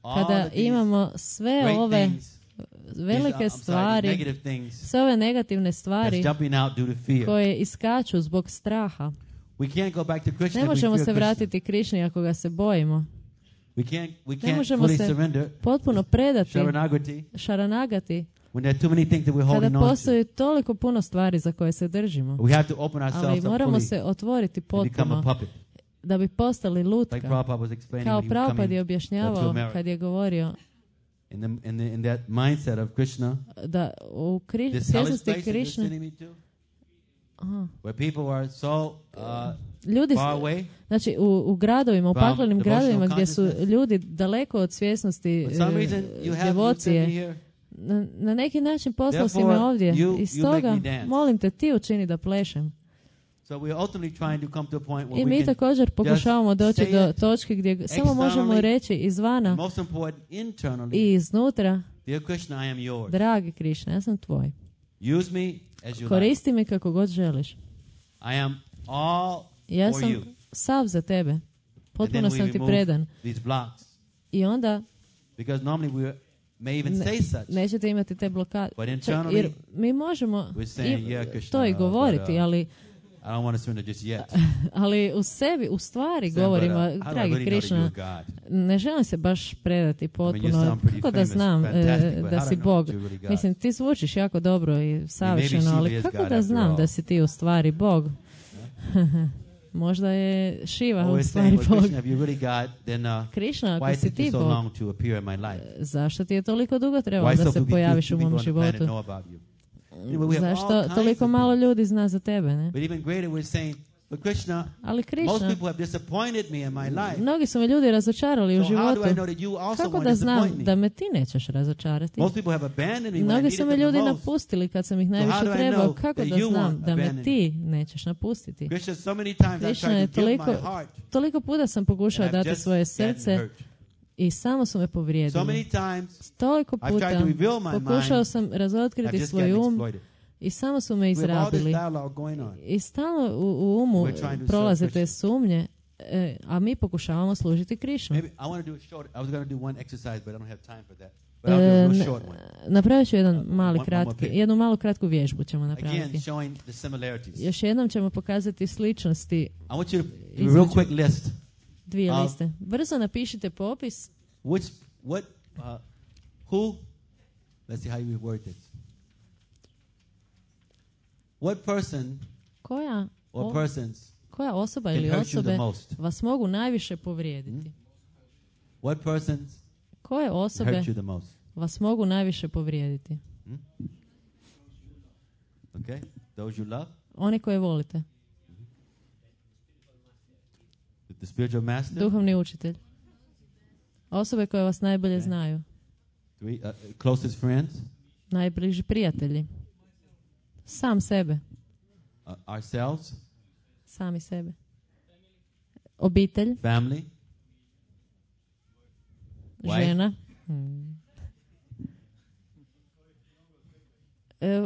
Speaker 2: kada imamo sve ove velike stvari, sve ove negativne stvari koje iskaču zbog straha. Ne možemo se vratiti Krišni ako ga se bojimo. Ne možemo se potpuno predati Sharanagati kada postoji toliko puno stvari za koje se držimo. Ali moramo se otvoriti potpuno da bi postali lutka. Kao Prabhupada je objašnjavao kad je govorio da u svjesnosti Krišne ljudi, znači u gradovima, u paklenim gradovima gdje su ljudi daleko od svjesnosti devocije, na neki način poslao si me ovdje i stoga molim te ti učini da plešem. I mi također pokušavamo doći do točke gdje samo možemo reći izvana i iznutra, dragi Krišna, ja sam tvoj. Koristi me kako god želiš. Ja sam sav za tebe. Potpuno sam ti predan. I onda nećete imati te blokade. Jer mi možemo to i govoriti, ali ali u sebi, u stvari govorimo, dragi Krišna, ne želim se baš predati potpuno. Kako da znam da si Bog? Mislim, ti zvučiš jako dobro i savršeno, ali kako da znam da si ti u stvari Bog? Možda je Šiva u stvari Bog. Krišna, ako si ti Bog, zašto ti je toliko dugo trebalo da se pojaviš u mom životu? Zašto toliko malo ljudi zna za tebe, ne? Ali Krišna, mnogi su me ljudi razočarali u životu. Kako da znam da me ti nećeš razočarati? Mnogi su me ljudi napustili kad sam ih najviše trebao. Kako da znam da me ti nećeš napustiti? Krišna je toliko puta sam pokušao dati svoje srce i samo su me povrijedili. Toliko puta pokušao sam razotkriti svoj i samo su me izrabili. I stalno u umu prolaze te sumnje, a mi pokušavamo služiti Krišnu. Napravit ću jednu malu kratku vježbu ćemo napraviti. Još jednom ćemo pokazati sličnosti između dvije liste. Brzo napišite popis.
Speaker 1: Let's see how you word this. What person or persons
Speaker 2: koja osoba ili osobe vas mogu najviše povrijediti?
Speaker 1: What persons
Speaker 2: koje osobe vas mogu najviše povrijediti?
Speaker 1: Okay, those you love.
Speaker 2: Oni koje volite.
Speaker 1: The spiritual master.
Speaker 2: Duhovni učitelj. Osobe koje vas najbolje znaju.
Speaker 1: Closest friends.
Speaker 2: Najbliži prijatelji. Sam sebe.
Speaker 1: Ourselves.
Speaker 2: Sami sebe. Obitelj.
Speaker 1: Family.
Speaker 2: Žena.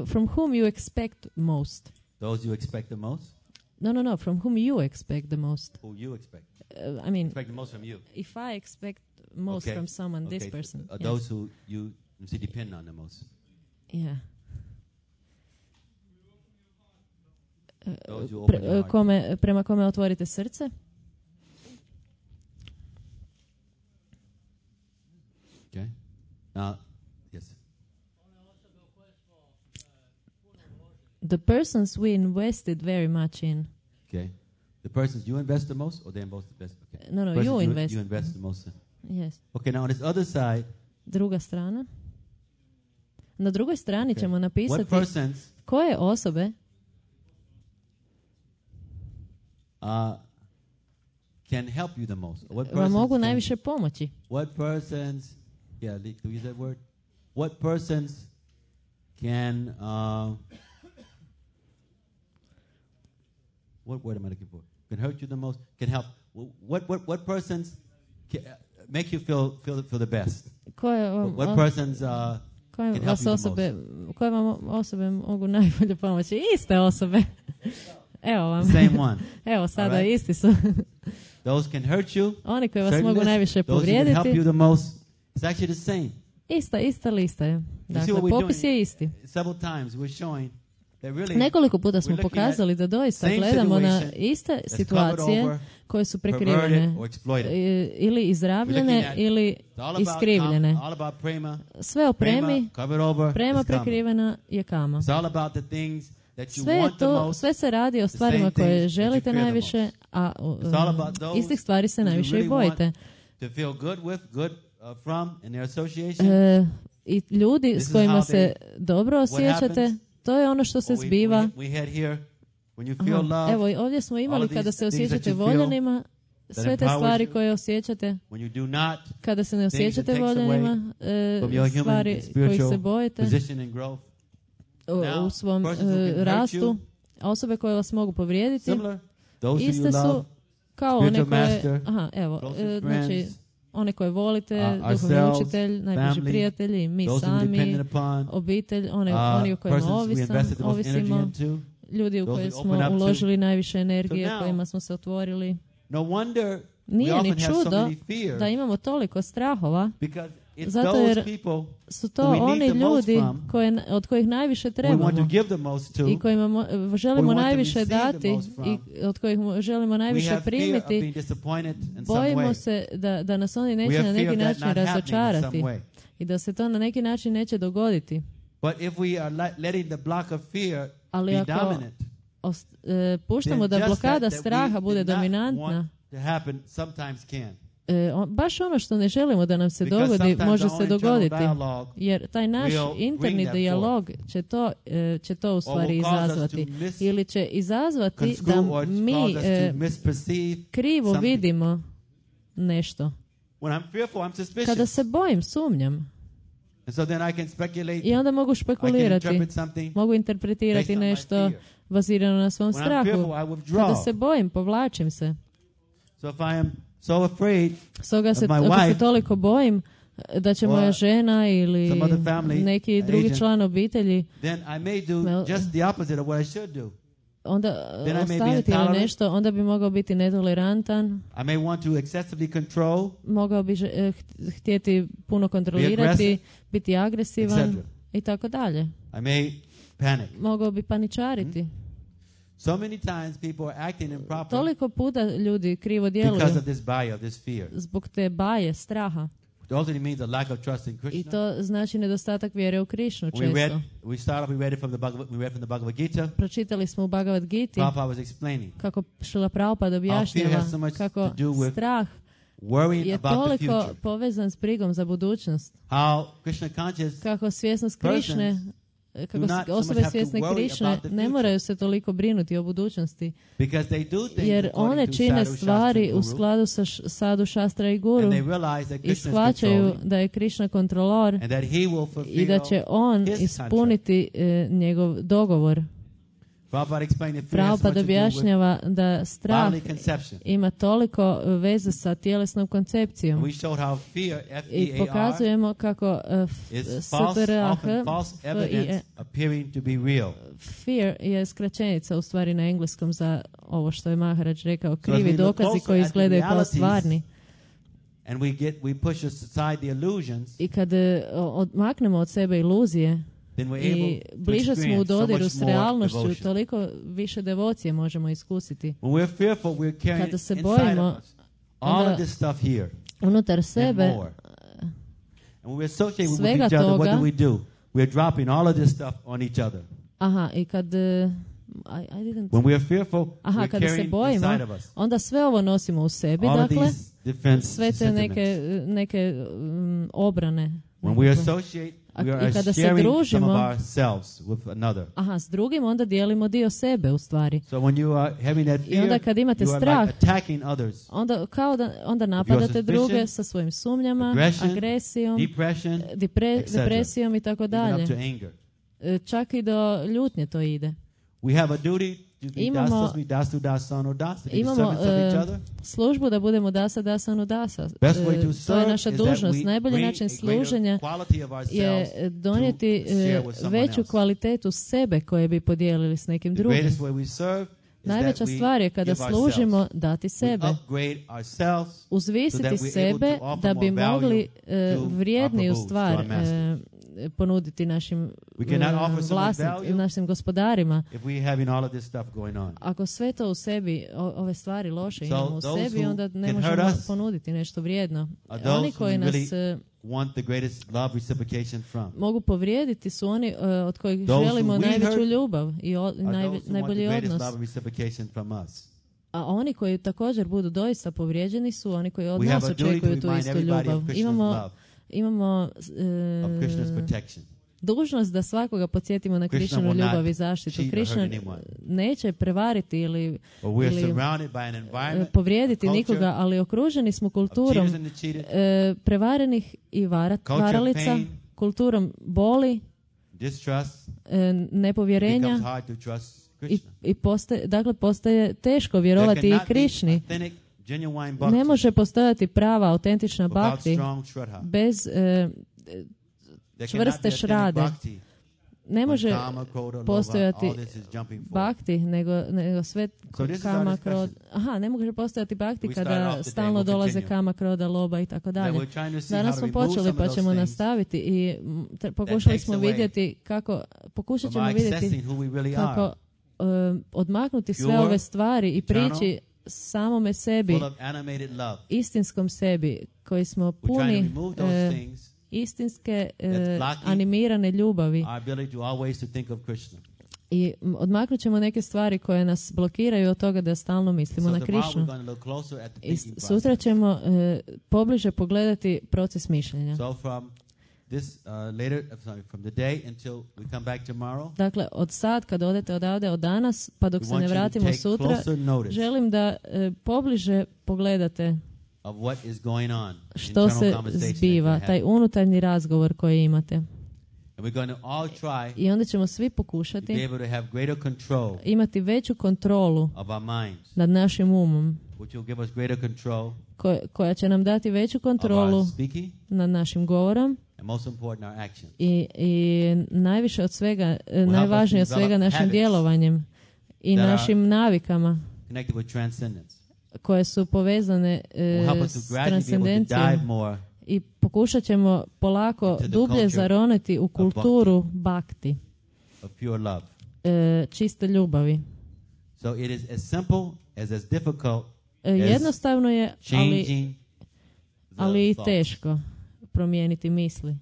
Speaker 2: From whom you expect most?
Speaker 1: Those you expect the most?
Speaker 2: No. From whom you expect the most?
Speaker 1: Who you expect?
Speaker 2: I mean,
Speaker 1: expect the most from you.
Speaker 2: If I expect most from someone, this person.
Speaker 1: Those who you depend on the most.
Speaker 2: Yeah. Prema kome otvorite srce?
Speaker 1: Okay. Yes.
Speaker 2: The persons we invested very much in.
Speaker 1: Okay. The persons you invest the most, or they invest the best? Okay.
Speaker 2: No, you invest.
Speaker 1: You invest the most.
Speaker 2: Yes.
Speaker 1: Okay, now on this other side.
Speaker 2: Druga strana. Na drugoj strani ćemo napisati koje osobe
Speaker 1: can help you the most.
Speaker 2: Vam mogu najviše pomoći.
Speaker 1: What persons, do you use that word? What persons can, what word am I looking for? Can hurt you the most? Can help? What persons can make you feel the best? What persons can help you the most?
Speaker 2: Koje vam osobe mogu najbolje pomoći? Iste osobe. Evo vam.
Speaker 1: Same one.
Speaker 2: Evo sada isti su.
Speaker 1: Those can hurt you.
Speaker 2: Oni koji vas mogu najviše povrijediti.
Speaker 1: Those who can help you the most. It's actually the same.
Speaker 2: Ista lista je. Dakle, popis je isti.
Speaker 1: Several times we're showing that really
Speaker 2: nekoliko puta smo pokazali da doista gledamo na iste situacije koje su prekrivene ili izrabljene ili iskrivljene. Sve o premi, prema prekrivena je kama. Sve se radi o stvarima koje želite najviše, a istih stvari se najviše i bojite. I ljudi s kojima se dobro osjećate, to je ono što se zbiva. Evo, ovdje smo imali kada se osjećate voljenima, sve te stvari koje osjećate. Kada se ne osjećate voljenima, stvari kojih se bojite u svom rastu, A osobe koje vas mogu povrijediti iste su kao one koje... znači, one koje volite, duhovni učitelj, najbliži prijatelji, mi sami, obitelj, oni u kojima ovisimo, ljudi u koje smo uložili najviše energije, kojima smo se otvorili. Nije ni čudo da imamo toliko strahova, zato jer su to oni ljudi od kojih najviše trebamo i kojima želimo najviše dati i od kojih želimo najviše primiti. Bojimo se da nas oni neće na neki način razočarati i da se to na neki način neće dogoditi. Ali ako puštamo da blokada straha bude dominantna, baš ono što ne želimo da nam se dogodi, može se dogoditi. Jer taj naš interni dijalog će to u stvari izazvati. Ili će izazvati da mi krivo vidimo nešto. Kada se bojim, sumnjam. I onda mogu špekulirati, mogu interpretirati nešto bazirano na svom strahu. Kada se bojim, povlačim se. Stoga ako se toliko bojim da će moja žena ili neki drugi član obitelji onda ostaviti ili nešto, onda bi mogao biti netolerantan, mogao bi htjeti puno kontrolirati, biti agresivan i tako dalje. Mogao bi paničariti. Toliko puta ljudi krivo djeluju zbog te baje, straha. I to znači nedostatak vjere u Krišnu često. Pročitali smo u Bhagavad Giti kako Šrila Prabhupada objašnjava kako strah je toliko povezan s brigom za budućnost. Kako svjesnost Krišne, kako osobe svjesne Krišne ne moraju se toliko brinuti o budućnosti, jer one čine stvari u skladu sa sadu, šastra i guru i shvaćaju da je Krišna kontrolor i da će on ispuniti njegov dogovor. Prabhupada objašnjava da strah ima toliko veze sa tjelesnom koncepcijom i pokazujemo kako fear je skraćenica u stvari na engleskom za ovo što je Maharaj rekao, krivi dokazi koji izgledaju kao stvarni. I kad odmaknemo od sebe iluzije i bliže smo u dodiru s realnošću, toliko više devocije možemo iskusiti. Kada se bojimo, onda unutar sebe svega toga, i kad kada se bojimo, onda sve ovo nosimo u sebi, dakle, sve te neke obrane. I kada se družimo s drugim, onda dijelimo dio sebe u stvari. I onda kad imate strah, onda napadate druge sa svojim sumnjama, agresijom, depresijom i tako dalje. Čak i do ljutnje to ide. Imamo službu da budemo dasa, dasanu, dasa. To je naša dužnost. Najbolji način služenja je donijeti veću kvalitetu sebe koje bi podijelili s nekim drugim. Najveća stvar je kada služimo dati sebe, uzvisiti sebe da bi mogli vrijedniju stvar ponuditi našim našim gospodarima. Ako sve to u sebi, ove stvari loše imamo u sebi, onda ne možemo ponuditi nešto vrijedno. Oni koji nas mogu povrijediti su oni od kojih želimo najveću ljubav i najbolji odnos. A oni koji također budu doista povrijeđeni su oni koji od nas očekuju tu istu ljubav. Imamo dužnost da svakoga podsjetimo na Krišninu ljubav i zaštitu. Krišna neće prevariti ili povrijediti nikoga, ali okruženi smo kulturom prevarenih i varalica, kulturom boli, nepovjerenja postaje teško vjerovati i Krišni. Ne može postojati prava, autentična bhakti bez čvrste šrade. Ne može postojati bhakti, nego sve kama krod. Ne može postojati bhakti kada stalno dolaze kama kroda, loba i tako dalje. Danas smo počeli pa ćemo nastaviti i pokušali smo vidjeti pokušat ćemo vidjeti kako odmaknuti sve ove stvari i prići samome sebi, istinskom sebi, koji smo puni istinske animirane ljubavi. I odmaknut ćemo neke stvari koje nas blokiraju od toga da stalno mislimo na Krišnu. I sutra ćemo pobliže pogledati proces mišljenja. Dakle, od sad kad odete odavde od danas pa dok se ne vratimo sutra, želim da pobliže pogledate što se zbiva, taj unutarnji razgovor koji imate. I onda ćemo svi pokušati imati veću kontrolu nad našim umom, koja će nam dati veću kontrolu nad našim govorom i najviše od svega, najvažnije od svega našim djelovanjem i našim navikama koje su povezane s transcendencijom. I pokušat ćemo polako dublje zaroniti u kulturu bhakti, čiste ljubavi. Jednostavno je, ali i teško promijeniti misli.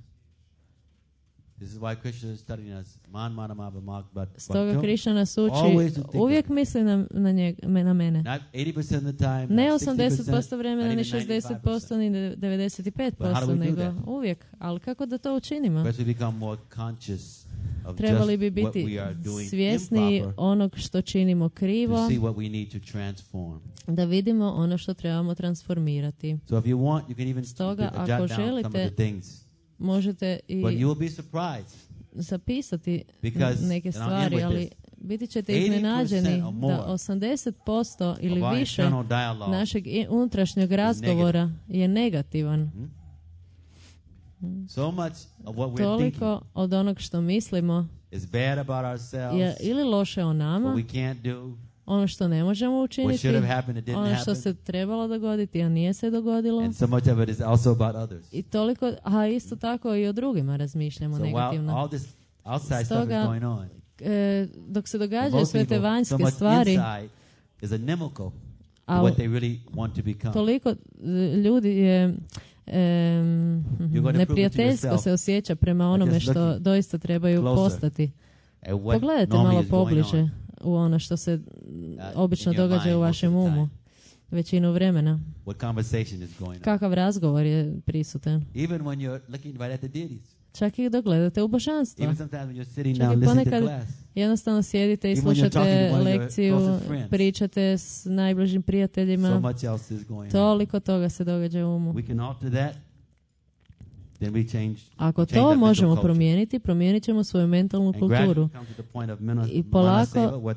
Speaker 2: Stoga Krišna nas uči, uvijek misli na mene. Ne 80% vremena, ni 60%, ni 95%, nego uvijek. Ali kako da to učinimo? Trebali bi biti svjesni onog što činimo krivo, da vidimo ono što trebamo transformirati. Stoga, ako želite, možete i zapisati neke stvari, ali biti ćete iznenađeni da 80% ili više našeg unutrašnjeg razgovora je negativan. Toliko od onog što mislimo je ili loše o nama, ono što ne možemo učiniti, ono što se trebalo dogoditi, a nije se dogodilo. I toliko, a isto tako i o drugima razmišljamo negativno. Stoga, dok se događaju sve te vanjske stvari, toliko ljudi je neprijateljsko se osjeća prema onome što doista trebaju postati. Pogledajte malo pobliže u ono što se obično događa u vašem umu većinu vremena. Kakav razgovor je prisutan. Čak i dok gledate u božanstvo. Čak i ponekad jednostavno sjedite i slušate lekciju, pričate s najbližim prijateljima. Toliko toga se događa u umu. Ako to možemo promijeniti, promijenit ćemo svoju mentalnu kulturu. I polako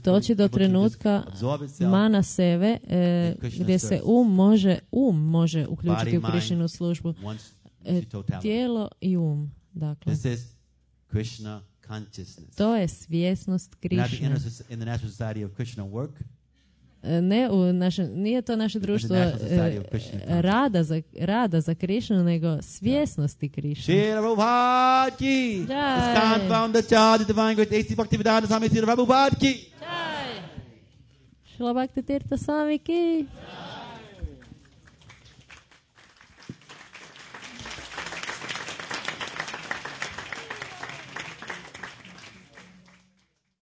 Speaker 2: doći do trenutka mana seve, gdje se um može uključiti u Krišninu službu. Tijelo i um. Dakle, to je svjesnost Krišne. Nije to naše društvo rada za Krišnu, nego svjesnosti Krišne. Šila Bhakti Tirtha Swami ki.